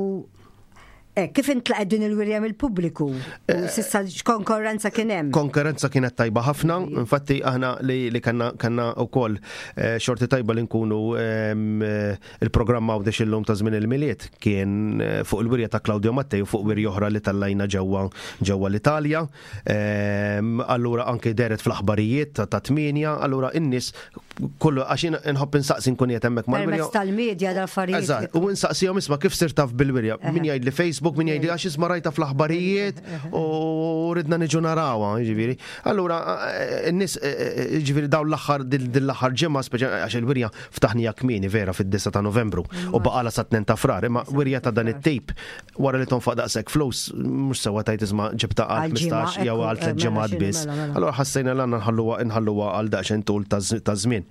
eh, kif intlaqet din il-wirja mill-pubbliku? U eh, sissa x'konkorrenza kien hemm? Konkurrenza kienet tajba ħafna, infatti aħna li kanna kanna wkoll eh, xorti tajba li nkunu ehm, Il-programm Għawdex Illum ta' żmien il-Milied kien eh, fuq il-wirja ta' Claudio Mattei u fuq wirja oħra li tallajna ġewwa ġewwa l-Italja. Ehm, allura anke deret fl-aħbarijiet ta' ta' tmienja, allura in-nies kollu għax jien inħobb insaqsi nkun qiegħed hemmhekk mal-wirja. Permezz tal-medja dal-affarijiet. Eżatt, u insaqsihom isma' kif sirt taf bil-wirja. Min jgħidli Facebook, min jgħidli għax isma' rajta fl-aħbarijiet u ridna niġu narawha, jiġifieri. Allura eh, n-nies eh, eh, jiġifieri dawn l-aħħar din l-aħħar ġimgħa speċa għax il-wirja Ftaħnija kmieni vera fid-9 ta' Novembru u baqalha sa 2 ta' Frar, imma wirja ta' dan it-tip wara li tonfoq daqshekk flus mhux sewwa tgħid isma' ġibtha għal 15 jew għal tliet ġimgħat biss. Allura ħassejna li għandna nħalluha nħalluha għal daqsxejn tul ta' żmien.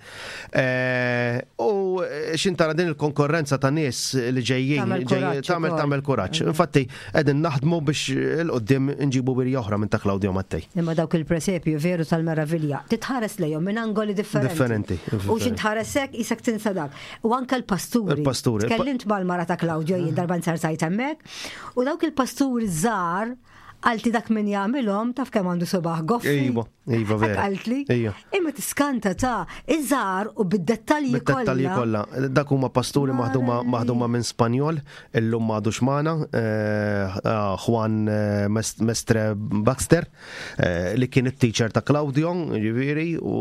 Eh, u xintara din il-konkurrenza ta' nies li ġejjin tagħmel tagħmel kuraġġ. Infatti qegħdin naħdmu biex il-qudiem nġibu wirja oħra minn ta' Claudio Mattei. Imma dawk il-presepju veru tal-meravilja. Titħares lejhom minn angoli differenti. Differenti. U xi tħares hekk isek tinsa dak. U anke l-pasturi. Il-pasturi. Tkellimt mal-mara ta' Claudio jien darba nsartajt hemmhekk. U dawk il-pasturi żgħar Qaltli dak min jagħmilhom taf kemm għandu subaħ goffi. Iva, iva vera. Qaltli. Iva. Imma tiskanta ta' iżgħar u bid-dettalji kollha. Bid-dettalji kollha. Dak huma pasturi maħduma maħduma minn Spanjol, illum m'għadux magħna, eh, eh, Juan eh, Mestre Baxter, li kien it-teacher ta' Claudio, ġifieri, u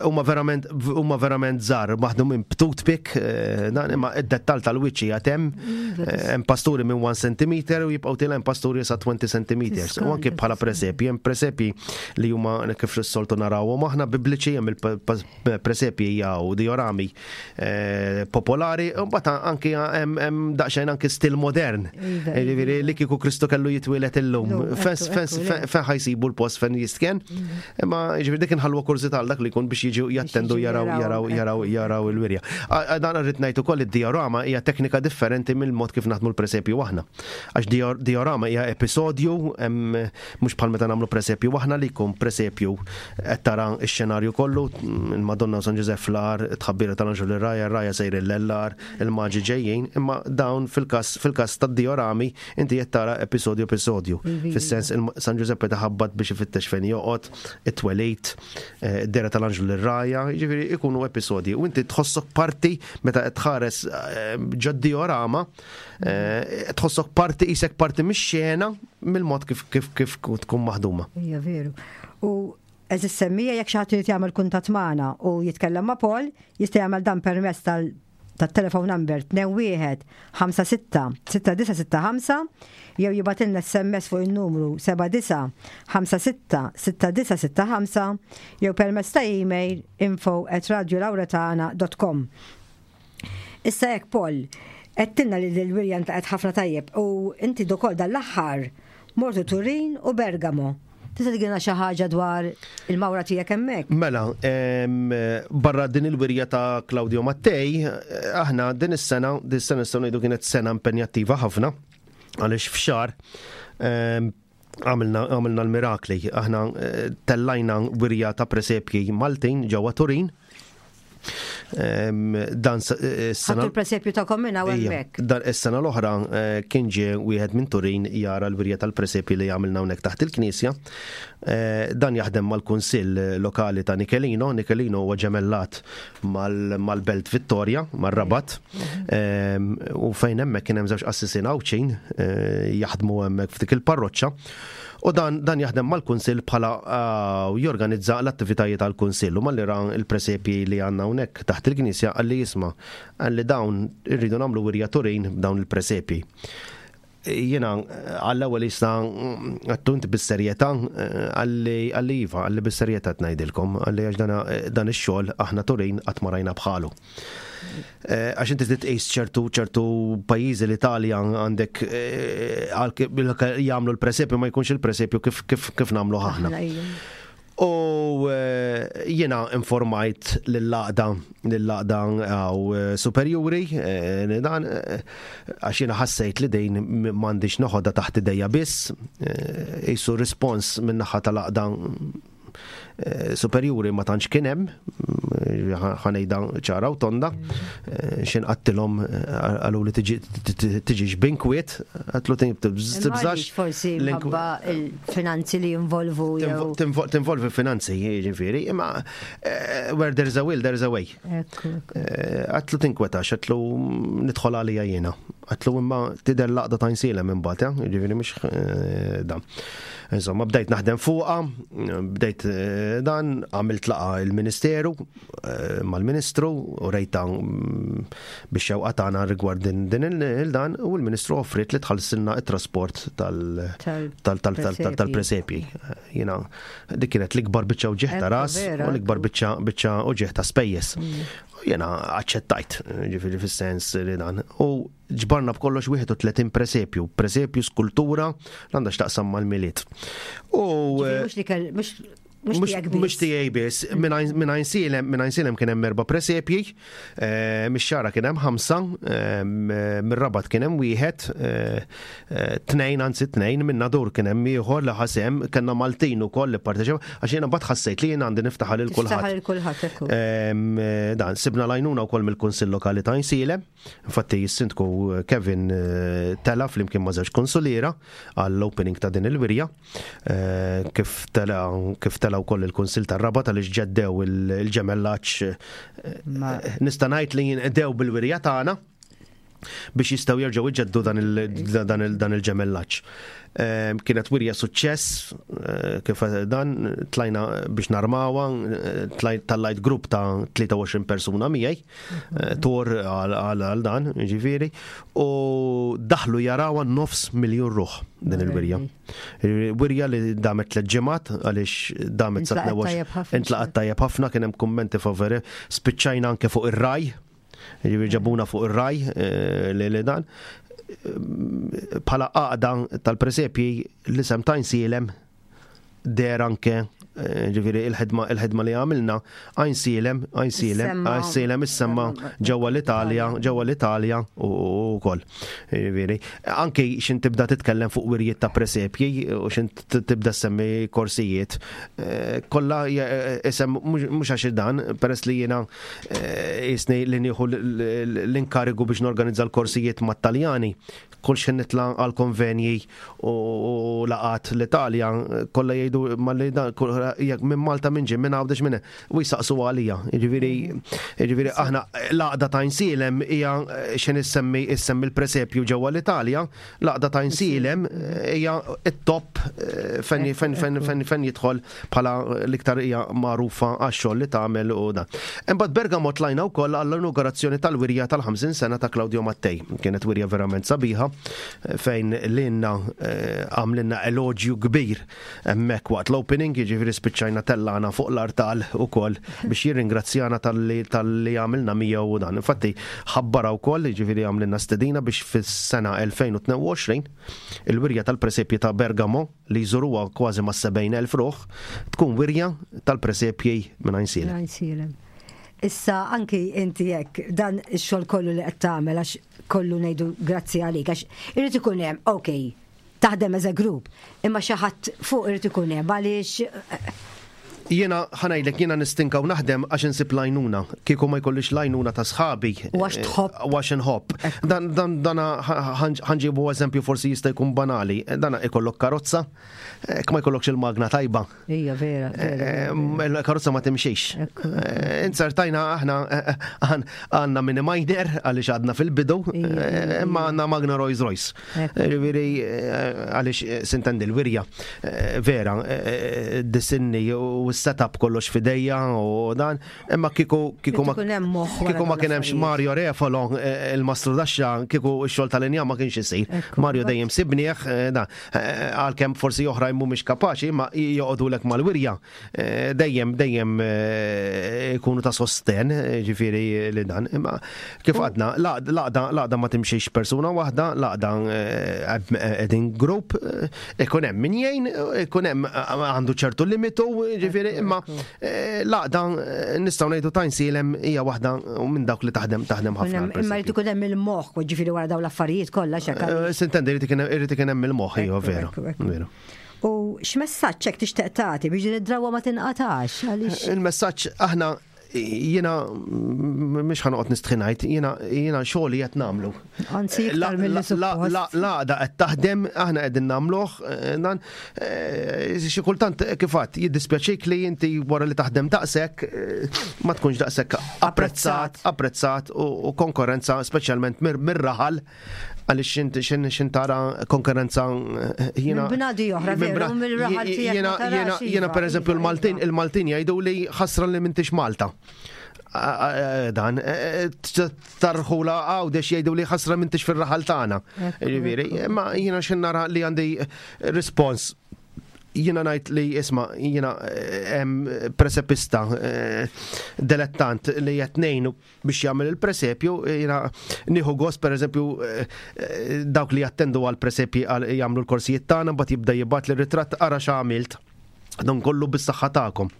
huma verament huma verament żgħar maħdumin b'toothpick eh, dan imma id-dettall tal-wiċċ qiegħed hemm mm, eh, hemm pasturi minn 1 cm u jibqgħu tilgħin pasturi sa 20 cm. U anke bħala presepji, hemm presepji li huma kif s-soltu narawhom aħna bibliċi hemm il-presepji jew diorami eh, popolari, u mbagħad anki hemm daqsxejn anki stil modern. Iva, iva. Li kieku Kristu kellu jitwielet illum. Fejn ħajsibu l-post fejn jistken. Mhm. Imma jiġifieri dik inħallu kurżità għal dak li jkun biex jiġu jattendu jaraw jaraw jaraw jaraw il-wirja. Dan rrid ngħid ukoll id-diorama hija teknika differenti mill-mod kif naħdmu l-presepju aħna. Għax diorama hija episodju mhux bħal meta nagħmlu presepju aħna li jkun presepju qed tara x-xenarju kollu, il-Madonna u San Ġużepp fl-għar, it-tħabbira tal-anġlu lir-rgħajja, r-rgħajja sejrin lel-għar, il-maġi ġejjin, imma dawn fil-każ fil-każ tad-diorami inti qed tara episodju episodju. Fis-sens San Ġużepp qed iħabbat biex ifittex fejn joqgħod, it-twelid, eh, id-dehra tal-anġlu lir-rgħajja, jiġifieri ikunu episodji u inti tħossok parti meta qed tħares eh, ġod-diorama, eh, tħossok parti qisek parti mix-xena mill-mod kif kif kif tkun maħduma. Hija veru. U eżis semmija jekk xi ħadd irid jagħmel kuntatt magħna u jitkellem ma' Paul, jista' jagħmel dan permezz tal tat-telephone number 21 56 6965 jew jibgħatilna SMS fuq in-numru 79 56 6965 jew permezz ta' email info at radiolauretana.com. Issa hekk Paul, għedtilna li l-wirja ntlaqgħet ħafna tajjeb u inti ukoll dan l-aħħar mortu Turin u Bergamo. Tista' tgħidilna xi ħaġa dwar il-mawra tiegħek hemmhekk? Mela, barra din il-wirja ta' Claudio Mattei, aħna din is-sena, din is-sena nistgħu ngħidu kienet sena impenjattiva ħafna għaliex f'xahar għamilna għamilna l-mirakli. Aħna eh, tellajna wirja ta' presepji Maltin ġewwa Turin. Dan eh, is-sena. il-presepju ta' kommina u hemmhekk. Dan is-sena l-oħra eh, kien ġie wieħed minn Turin jara l-wirja tal-presepji li għamilna hawnhekk taħt il-knisja. Dan jaħdem mal-Kunsill Lokali ta' Nichelino. Nichelino huwa ġemellat mal-Belt Vittoria, mar-Rabat. Mhm. U fejn hemmhekk kien hemm żewġ qassisin Għawdxin eh, jaħdmu hemmhekk f'dik il-parroċċa. U dan, dan jaħdem mal-Kunsill bħala eh, jorganizza l-attivitajiet tal-Kunsill u malli ra il-presepji li għandna hawnhekk taħt il-Knisja qalli jisma' qalli dawn irridu nagħmlu wirja Turin b'dawn il-presepji. Jiena għall-ewwel jista' għattu inti bis-serjetà għalli għalli iva, għalli bis-serjetà qed ngħidilkom, għalli għax dan ix-xogħol aħna Turin qatt ma rajna bħalu. Eh, għax inti tqis ċertu ċertu pajjiżi l-Italja għandek eh, jagħmlu l-presepju ma jkunx il-presepju kif kif kif nagħmlu aħna. U eh, jiena informajt lill-għaqda lill-għaqda għaw eh, superjuri eh, dan għax jiena ħassejt li dejn m'għandix noħodha taħt idejja biss, jisu rispons min-naħa tal-għaqda superjuri ma tantx kien hemm, ħanejda ċara u tonda, xin qattilhom qalu li tiġi xbinkwiet, għatlu tibżax. Forsi minħabba il-finanzi li jinvolvu. Tinvolvi finanzi, jiġifieri, imma eh, where there's a will, there's a way. Eh, għatlu tinkwetax, għatlu nidħol għalija jiena. Għatlu imma tidher laqda ta' nsielem imbagħad, eh, jiġifieri mhux dan. Insomma, bdejt naħdem fuqha, bdejt dan, għamilt laqa il-Ministeru, Eh, mal-Ministru u rejta mm, biex xewqa tagħna rigward din il-dan u l-Ministru offrit li tħallsilna it-trasport tal-presepji. Jiena dik kienet l-ikbar biċċa uġigħ ta' ras u l-ikbar biċċa uġigħ ta' spejjeż. Mm. Jiena aċċettajt, ġifieri fis-sens li dan. U ġbarna b'kollox 31 presepju, presepju skultura l-għandha x'taqsam mal-Milied. U eh, mhux Mhux tiegħek biss. Mhux tiegħi biss. Minn Għajnsielem, minn Għajnsielem kien hemm erba' presepji, eh, mix-Xagħra kien hemm ħamsa, eh, mir-Rabat kien hemm wieħed, eh, tnejn anzi tnejn, minn Nadur kien hemm ieħor li ħasem, kellna Maltin ukoll li pparteċipaw, għax jiena mbagħad ħassejt li jiena għandi niftaħar lil kulħadd. Tiftaħar lil kulħadd, ekku. Dan, sibna l-għajnuna wkoll mill-Kunsill Lokali ta' Għajnsielem. Infatti s-Sindku Kevin tela' flimkien ma' żewġ konsuliera għall-opening ta' din il-wirja. Kif tela' kif tela' wkoll il-Kunsill tar-Rabat għaliex ġeddew il-ġemellaġġ nista' ngħid li jinqdew bil-wirja tagħna biex jistgħu jerġgħu jġeddu dan il-ġemellaġġ. Kienet wirja suċċess, eh, kif dan tlajna biex narmawa, eh, tallajt grupp ta' 23 persuna miegħi, eh, tor għal dan, ġifieri, u daħlu jarawa nofs miljun ruħ din il-wirja. Wirja li damet tliet ġimgħat għaliex damet sa' intlaqat tajjeb ħafna kien hemm kummenti favori, spiċċajna anke fuq ir-raj, Ġifieri ġabuna fuq ir-raj eh, li li dan. Bħala għaqda tal-presepji l-isem ta' Għajnsielem der anke eh, ġifieri il-ħidma il-ħidma li għamilna Għajnsielem, Għajnsielem, Għajnsielem issemma ġewwa l-Italja, ġewwa l-Italja u wkoll. Ġifieri, anke xin tibda titkellem fuq wirjiet ta' presepji u xin tibda semmi korsijiet, eh, kollha isem mhux għax dan, peress li jiena Eh, jisni li nieħu l-inkarigu biex norganizza l-korsijiet mat-Taljani, kull xejn nitla' għal konvenji u laqat l-Italja, kollha jgħidu malli jekk minn Malta minn ġie minn Għawdex minn u jsaqsu għalija. Jiġifieri jiġifieri aħna l-għaqda ta' Għajnsielem hija xejn issemmi issemmi l-presepju ġewwa l-Italja, L-għaqda ta' Għajnsielem hija t-top eh, fejn fejn fejn fejn fejn jidħol bħala l-iktar hija magħrufa għax-xogħol li tagħmel u dan. Imbagħad Bergamo tlajna wkoll għall-inaugurazzjoni tal-wirja tal-50 sena ta' Claudio Mattei. Kienet wirja verament sabiħa eh, fejn lilna eh, għamlilna eloġju kbir Hemmhekk waqt l-opening, jiġifieri spiċċajna tellagħna fuq l-artal ukoll biex jirringrazzjana talli talli għamilna miegħu u dan. Infatti ħabbarha wkoll, jiġifieri għamlilna stedina biex fis-sena 2022 il-wirja tal-presepji ta' Bergamo li jżuruha kważi mas-70,000 ruħ tkun wirja tal-presepji minn Għajnsielem. Għajnsielem. Issa anki inti hekk dan ix-xogħol kollu li qed tagħmel għax kollu ngħidu grazzi għalik għax irid ikun hemm, okej, taħdem as a group, imma xi ħadd fuq irid ikun hemm għaliex Jiena ħanajdlek jiena nistinka u naħdem għax insib l-għajnuna. Kieku ma jkollix l-għajnuna ta' sħabi. U għax tħobb. U għax inħobb. Dan dan dana ħanġibu eżempju forsi jista' jkun banali. Dana ikollok karozza, jekk ma jkollokx il-magna tajba. Ija, vera. Eh, il-karozza ma timxix. Eh, inzertajna aħna eh, għanna mini minor għaliex għadna fil-bidu, imma għanna magna Rolls Royce. Ġifieri għaliex sintendi l-wirja vera, disinni u s-setup kollox fidejja u dan, imma kiku kiku ma kiku ma kien hemmx Mario Refolo il-mastru daxxa kiku x-xogħol tal-inja ma kienx isir. Mario dejjem sibnieh dan. Eh, għalkemm forsi oħrajn mhumiex kapaċi ma joqogħdulek mal-wirja eh, dejjem dejjem eh, ikunu ta' sosten ġifieri li dan. Imma kif għadna, laqda ma timxiex persuna waħda, laqda qegħdin grupp, ikun hemm min jgħin, ikun hemm għandu ċertu limitu, ġifieri imma L-għaqda nistgħu ngħidu ta' Għajnsielem hija waħda minn dawk li taħdem taħdem ħafna. Imma jrid ikun hemm il-moħħ, ġifieri wara dawn l-affarijiet kollha x'hekk. Eh, Sintendi jrid ikun hemm il-moħħ, iva veru. Veru. U x'messaġġ hekk tixtieq tagħti biex din id-drawwa ma tinqatax? Għaliex Il-messaġġ aħna jiena mhux ħanoqgħod nistħi ngħid, jiena jiena xogħli qed nagħmlu. Anzi, iktar milli suppost. L-għaqda qed taħdem, aħna qegħdin nagħmluh, eh, dan eh, xi kultant eh, kif għadd jiddispjaċik li inti wara li taħdem daqshekk ma tkunx daqshekk apprezzat, apprezzat u konkurrenza speċjalment mir-raħal għaliex inti xin tara konkurrenza jiena. Bnadi oħra, mill-raħal Jiena jiena iva, pereżempju iva, il-Maltin iva. il-Maltin jgħidu li ħasra li m'intix Malta. Dan, tarħula għawdex jgħidu li ħasra m'intix fir-raħal tagħna. Ġifieri, imma jiena x'in nara li għandi respons jiena ngħid li isma' jiena presepista delettant li qed ngħinu biex jagħmel il-presepju, jiena nieħu gost pereżempju dawk li jattendu għal presepji jagħmlu l-korsijiet tagħna mbagħad jibda jibgħat li ritratt ara x'għamilt. Dan kollu bis-saħħa tagħkom.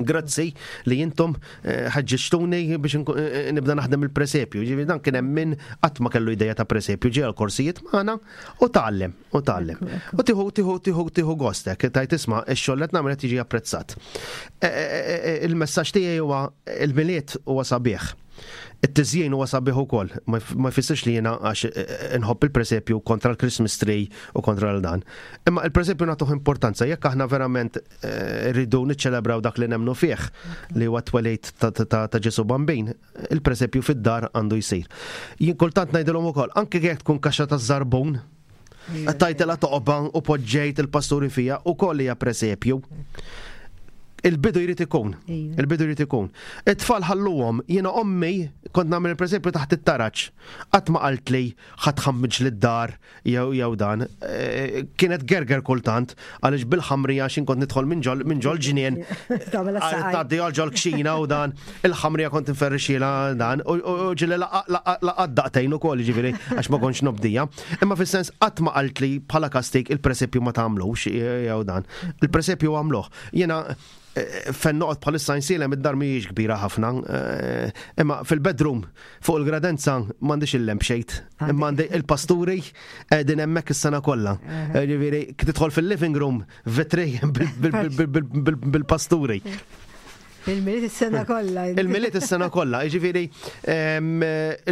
Grazzi li jintom eh, ħeġġiġtuni biex eh, eh, nibda naħdem il-presepju. Ġifieri dan kien hemm min qatt ma kellu ideja ta' presepju ġie għal-korsijiet magħna u tgħallem u tgħallem. U tieħu tieħu tieħu tieħu gostek, tajt isma' ix-xogħol qed nagħmel qed jiġi apprezzat. Il-messaġġ tiegħi huwa il-miliet huwa sabiħ. It-tiżjin huwa sabiħ ukoll, ma jfissirx li jiena għax eh, eh, inħobb il-presepju kontra l-Christmas tree u kontra l-dan. Imma il-presepju nagħtuh importanza jekk aħna verament eh, rridu niċċelebraw dak li nemnu fih li huwa twelid ta' Ġesu Bambin, il-presepju fid-dar għandu jsir. Jien kultant ngħidilhom ukoll, anke jekk tkun kaxxa ta' żarbun, tajtela toqba u poġġejt il-pasturi fija u koll hija presepju. Il-bidu jrid ikun. Il-bidu jrid ikun. It-tfal ħalluhom, jiena ommi kont nagħmel il-presepju taħt it-taraġ. Qatt ma qaltli ħadd ħammiġ lid-dar jew jew dan. E, kienet gerger kultant għaliex bil-ħamrija x'in kont nidħol minn ġol minn ġol ġnien. Tgħaddi għal ġol kxina u dan, il-ħamrija kont inferrixila dan u ġieli laqgħat daqtejn ukoll jiġifieri għax ma kontx nobdija. Imma fis-sens qatt ma qaltli bħala kastig il-presepju ma tagħmlux jew dan. Il-presepju għamluh. Jiena eh, fejn noqgħod bħalissa nsilem id-dar mhijiex kbira ħafna, eh, imma fil-bedroom fuq il-gradenza m'għandix il-lampshade, imma għandi il-pasturi qegħdin hemmhekk is-sena kollha. Eh, ġifieri tidħol fil-living room vetri bil-pasturi. Il-miliet is-sena kollha. Il-miliet is-sena kollha, jiġifieri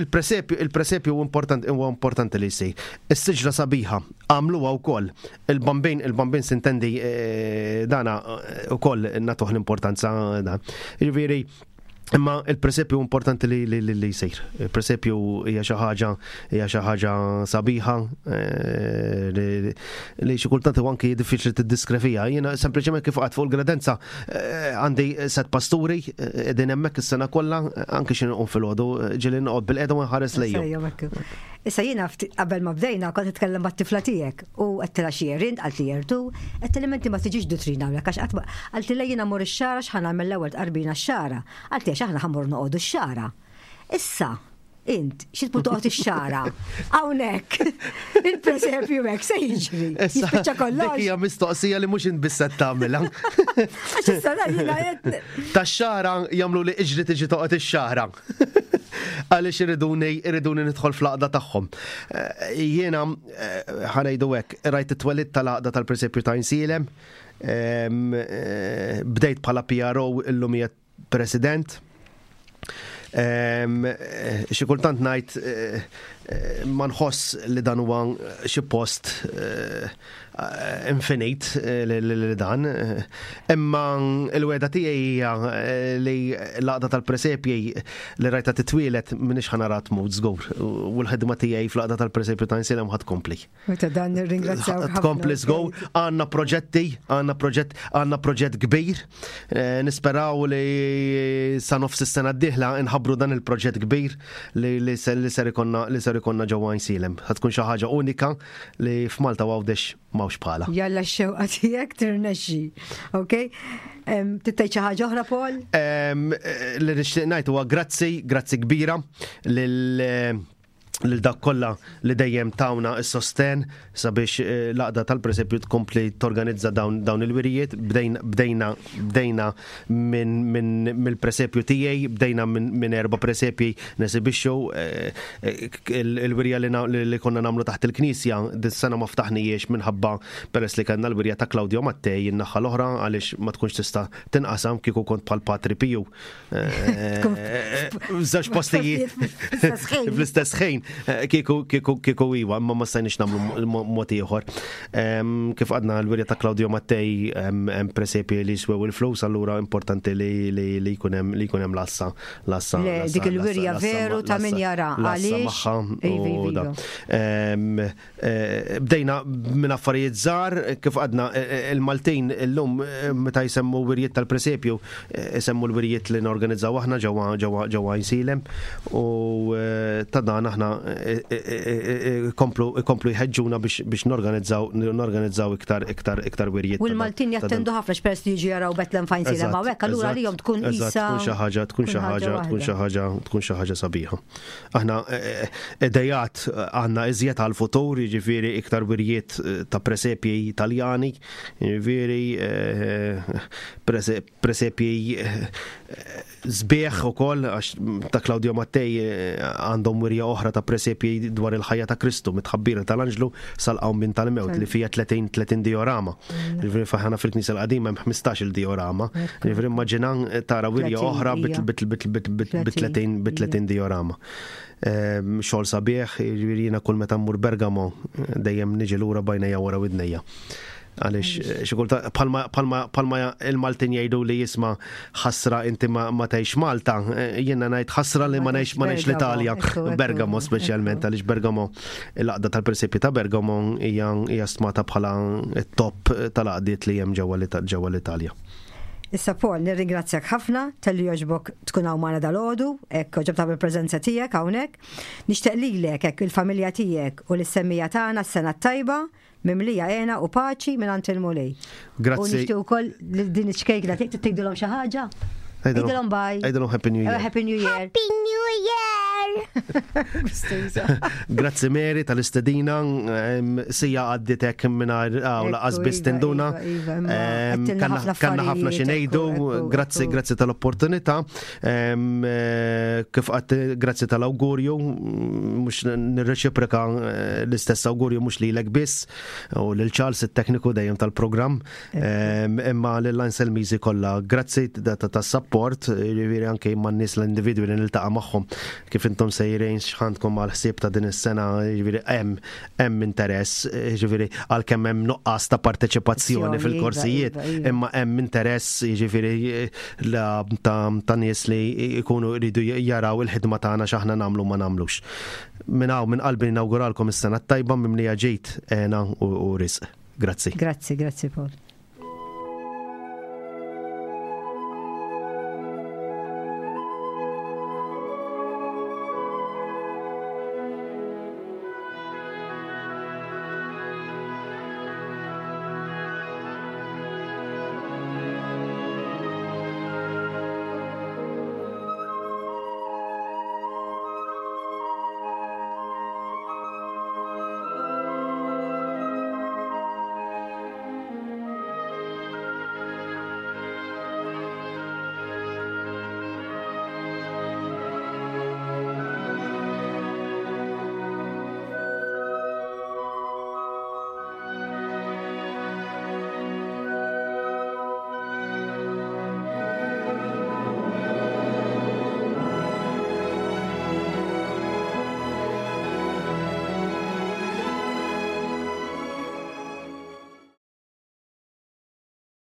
il-presepju il-presepju importanti huwa importanti li jsir. Is-siġra sabiħa għamluha wkoll. Il-bambin il-bambin sintendi eh, dana eh, ukoll nagħtuh l-importanza dan. Jiġifieri Imma il-presepju importanti li li li jsir. Il-presepju hija xi ħaġa hija xi ħaġa sabiħa eh, li xi kultant huwa anki diffiċli tiddiskrevija. Jiena sempliċement kif qatt fuq il-gradenza eh, għandi set pasturi eh, qegħdin hemmhekk is-sena kollha anki xi nqum filgħodu ġieli noqgħod bil-qiegħda u nħares lejhom. Issa jiena qabel ma bdejna kont nitkellem mat-tifla tiegħek u għedtilha xi erint, qaltli ertu, għedtilha inti ma tiġix dutrina hawnhekk għax qatt ma qaltli le jiena mmur ix-xagħra x'ħa nagħmel l-ewwel tqarbina x-xagħra. Qaltli għax aħna ħa mmorru noqogħdu x-xagħra. Issa, int, xi tmur toqgħod ix-xagħra? Hawnhekk, il-presepju hekk se jiġri. Jispiċċa kollox. Dik hija mistoqsija li mhux int biss qed tagħmilha. Għax issa jiena qed Tax-xagħra jagħmlu li iġri tiġi toqgħod ix-xagħra. Għaliex iriduni iriduni nidħol fl-għaqda tagħhom. Eh, jiena eh, ħanejdu hekk, rajt it-twelid tal-għaqda tal-presepju ta' Insielem, eh, bdejt bħala PRO illum hija president. Xi kultant ngħid ma nħoss li dan huwa xi post infinit li dan. Imma l-wegħda tiegħi hija li l-għaqda tal-presepji li rajta titwielet m'iniex ħa nara tmut żgur. U l-ħidma tiegħi fl-għaqda tal-presepju ta' Insilem ħa tkompli. U ta' dan nirringrazzjaw. Tkompli żgur. Għandna proġetti, għandna proġett, għandna proġett kbir. Nisperaw li sa nofs is-sena d-dieħla nħabbru dan il-proġett kbir li ser ikonna li ser ikonna ġewwa Għajnsielem. Ħa tkun xi ħaġa unika li f'Malta u Għawdex m'hawnx bħalha. Jalla x-xewqa tiegħek tirnexxi. Ok? Titgħid xi ħaġa oħra Paul? Li nixtieq ngħid huwa grazzi, grazzi kbira lil lil dak kollha li dejjem tawna s-sosten sabiex eh, l-għaqda tal-presepju tkompli torganizza dawn, dawn il-wirijiet. Bdejna, bdejna, bdejna minn min, mill-presepju tiegħi, bdejna minn min erba' presepji nesibixxu eh, eh, il-wirja li, li konna nagħmlu taħt il-knisja dis-sena ma ftaħnijiex minħabba peress li kellna l-wirja ta' Claudio Mattei in-naħa l-oħra għaliex ma tkunx tista' tinqasam kieku kont bħal Patri Piju Żewġ postijiet fl-istess ħin eh, kieku kieku kieku iwa, imma ma stajniex nagħmlu mod ieħor. Kif għadna l-wirja ta' Claudio Mattei hemm presepji li jiswew il-flus, allura importanti li jkun hemm li jkun hemm lassa lassa. Dik il-wirja veru ta' min jara għaliex. Iva, iva, iva. Eh, bdejna minn affarijiet żgħar, kif għadna eh, eh, il-Maltin illum meta jsemmu wirjiet tal-presepju, isemmu l-wirjiet li norganizzaw aħna ġewwa ġewwa ġewwa Għajnsielem u ta' dan aħna ikomplu jħeġġuna biex norganizzaw norganizzaw iktar iktar iktar wirjiet. U l-Maltin jattendu ħafna x'peress li jiġu jaraw Bethlehem f'Għajnsielem hawnhekk, allura għalihom tkun qisha. Tkun xi ħaġa, tkun xi ħaġa, tkun xi ħaġa, tkun xi ħaġa sabiħa. Aħna idejat għandna iżjed għall-futur, jiġifieri iktar wirjiet ta' presepji Taljani, jiġifieri presepji sbieħ ukoll għax ta' Claudio Mattei għandhom wirja oħra ta' presepji dwar il-ħajja ta' Kristu mit-tħabbira tal-anġlu sal-qawmien tal-mewt li fija 30 30 diorama. Jiġifieri faħana fil-Knisja l-qadima hemm 15 il-diorama. Jiġifieri immaġina tara wirja oħra bi 30 diorama. Xogħol sabiħ, jiġifieri jiena kull meta mmur Bergamo dejjem niġi lura bajnejja wara widnejja. Għaliex eh, xi kultant bħalma il-Maltin jgħidu li jisma' ħasra inti ma tgħix Malta, eh, jiena ngħid ħasra li ma ngħix ma ngħix l-Italja, Bergamo speċjalment għaliex Bergamo l-għaqda tal-presepji ta' Bergamo hija stmata bħala t-top tal-għaqdiet li hemm ġewwa l-Italja. Issa Paul, nirringrazzjak ħafna talli jogħġbok tkun hawn magħna dalgħodu, hekk għoġob tagħmel preżenza tiegħek hawnhekk. Nixtieq lilek hekk il-familja tiegħek u lis-semmija tagħna s-sena t-tajba mimlija hena u paċi mingħand il-Mulej. Grazzi. U nixtieq ukoll li din iċ-ċkejkna tiegħek tgħidilhom xi ħaġa. Għidilhom bye. Għidilhom Happy New Year. Eh, Happy New Year. Happy New Year. Grazzi Mary tal-istedina, sija għadditek mingħajr għaw laqas biss iva, tinduna. Iva, iva, Kanna ħafna xi ngħidu, grazzi grazzi tal-opportunità. Eh, kif qatt grazzi tal-awgurju, mhux nirreċiproka eh, l-istess awgurju mhux lilek biss u lil Charles it-tekniku dejjem tal-programm, imma lil Ansel Mizi kollha. Grazzi tas-support, jiġifieri anke man nies l-individwi li niltaqa' magħhom kif intom sejrin x'ħandkom għal ħsieb ta' din is-sena, jiġifieri hemm hemm interess, jiġifieri għalkemm hemm nuqqas ta' parteċipazzjoni iva, fil-korsijiet, iva, iva. imma hemm interess jiġifieri ta' nies li jkunu jridu jaraw il-ħidma tagħna x'aħna nagħmlu ma nagħmlux. Minn hawn minn qalbi nawguralkom is-sena t-tajba mimlija ġid, hena u risq. Grazzi. Grazzi, grazzi Paul.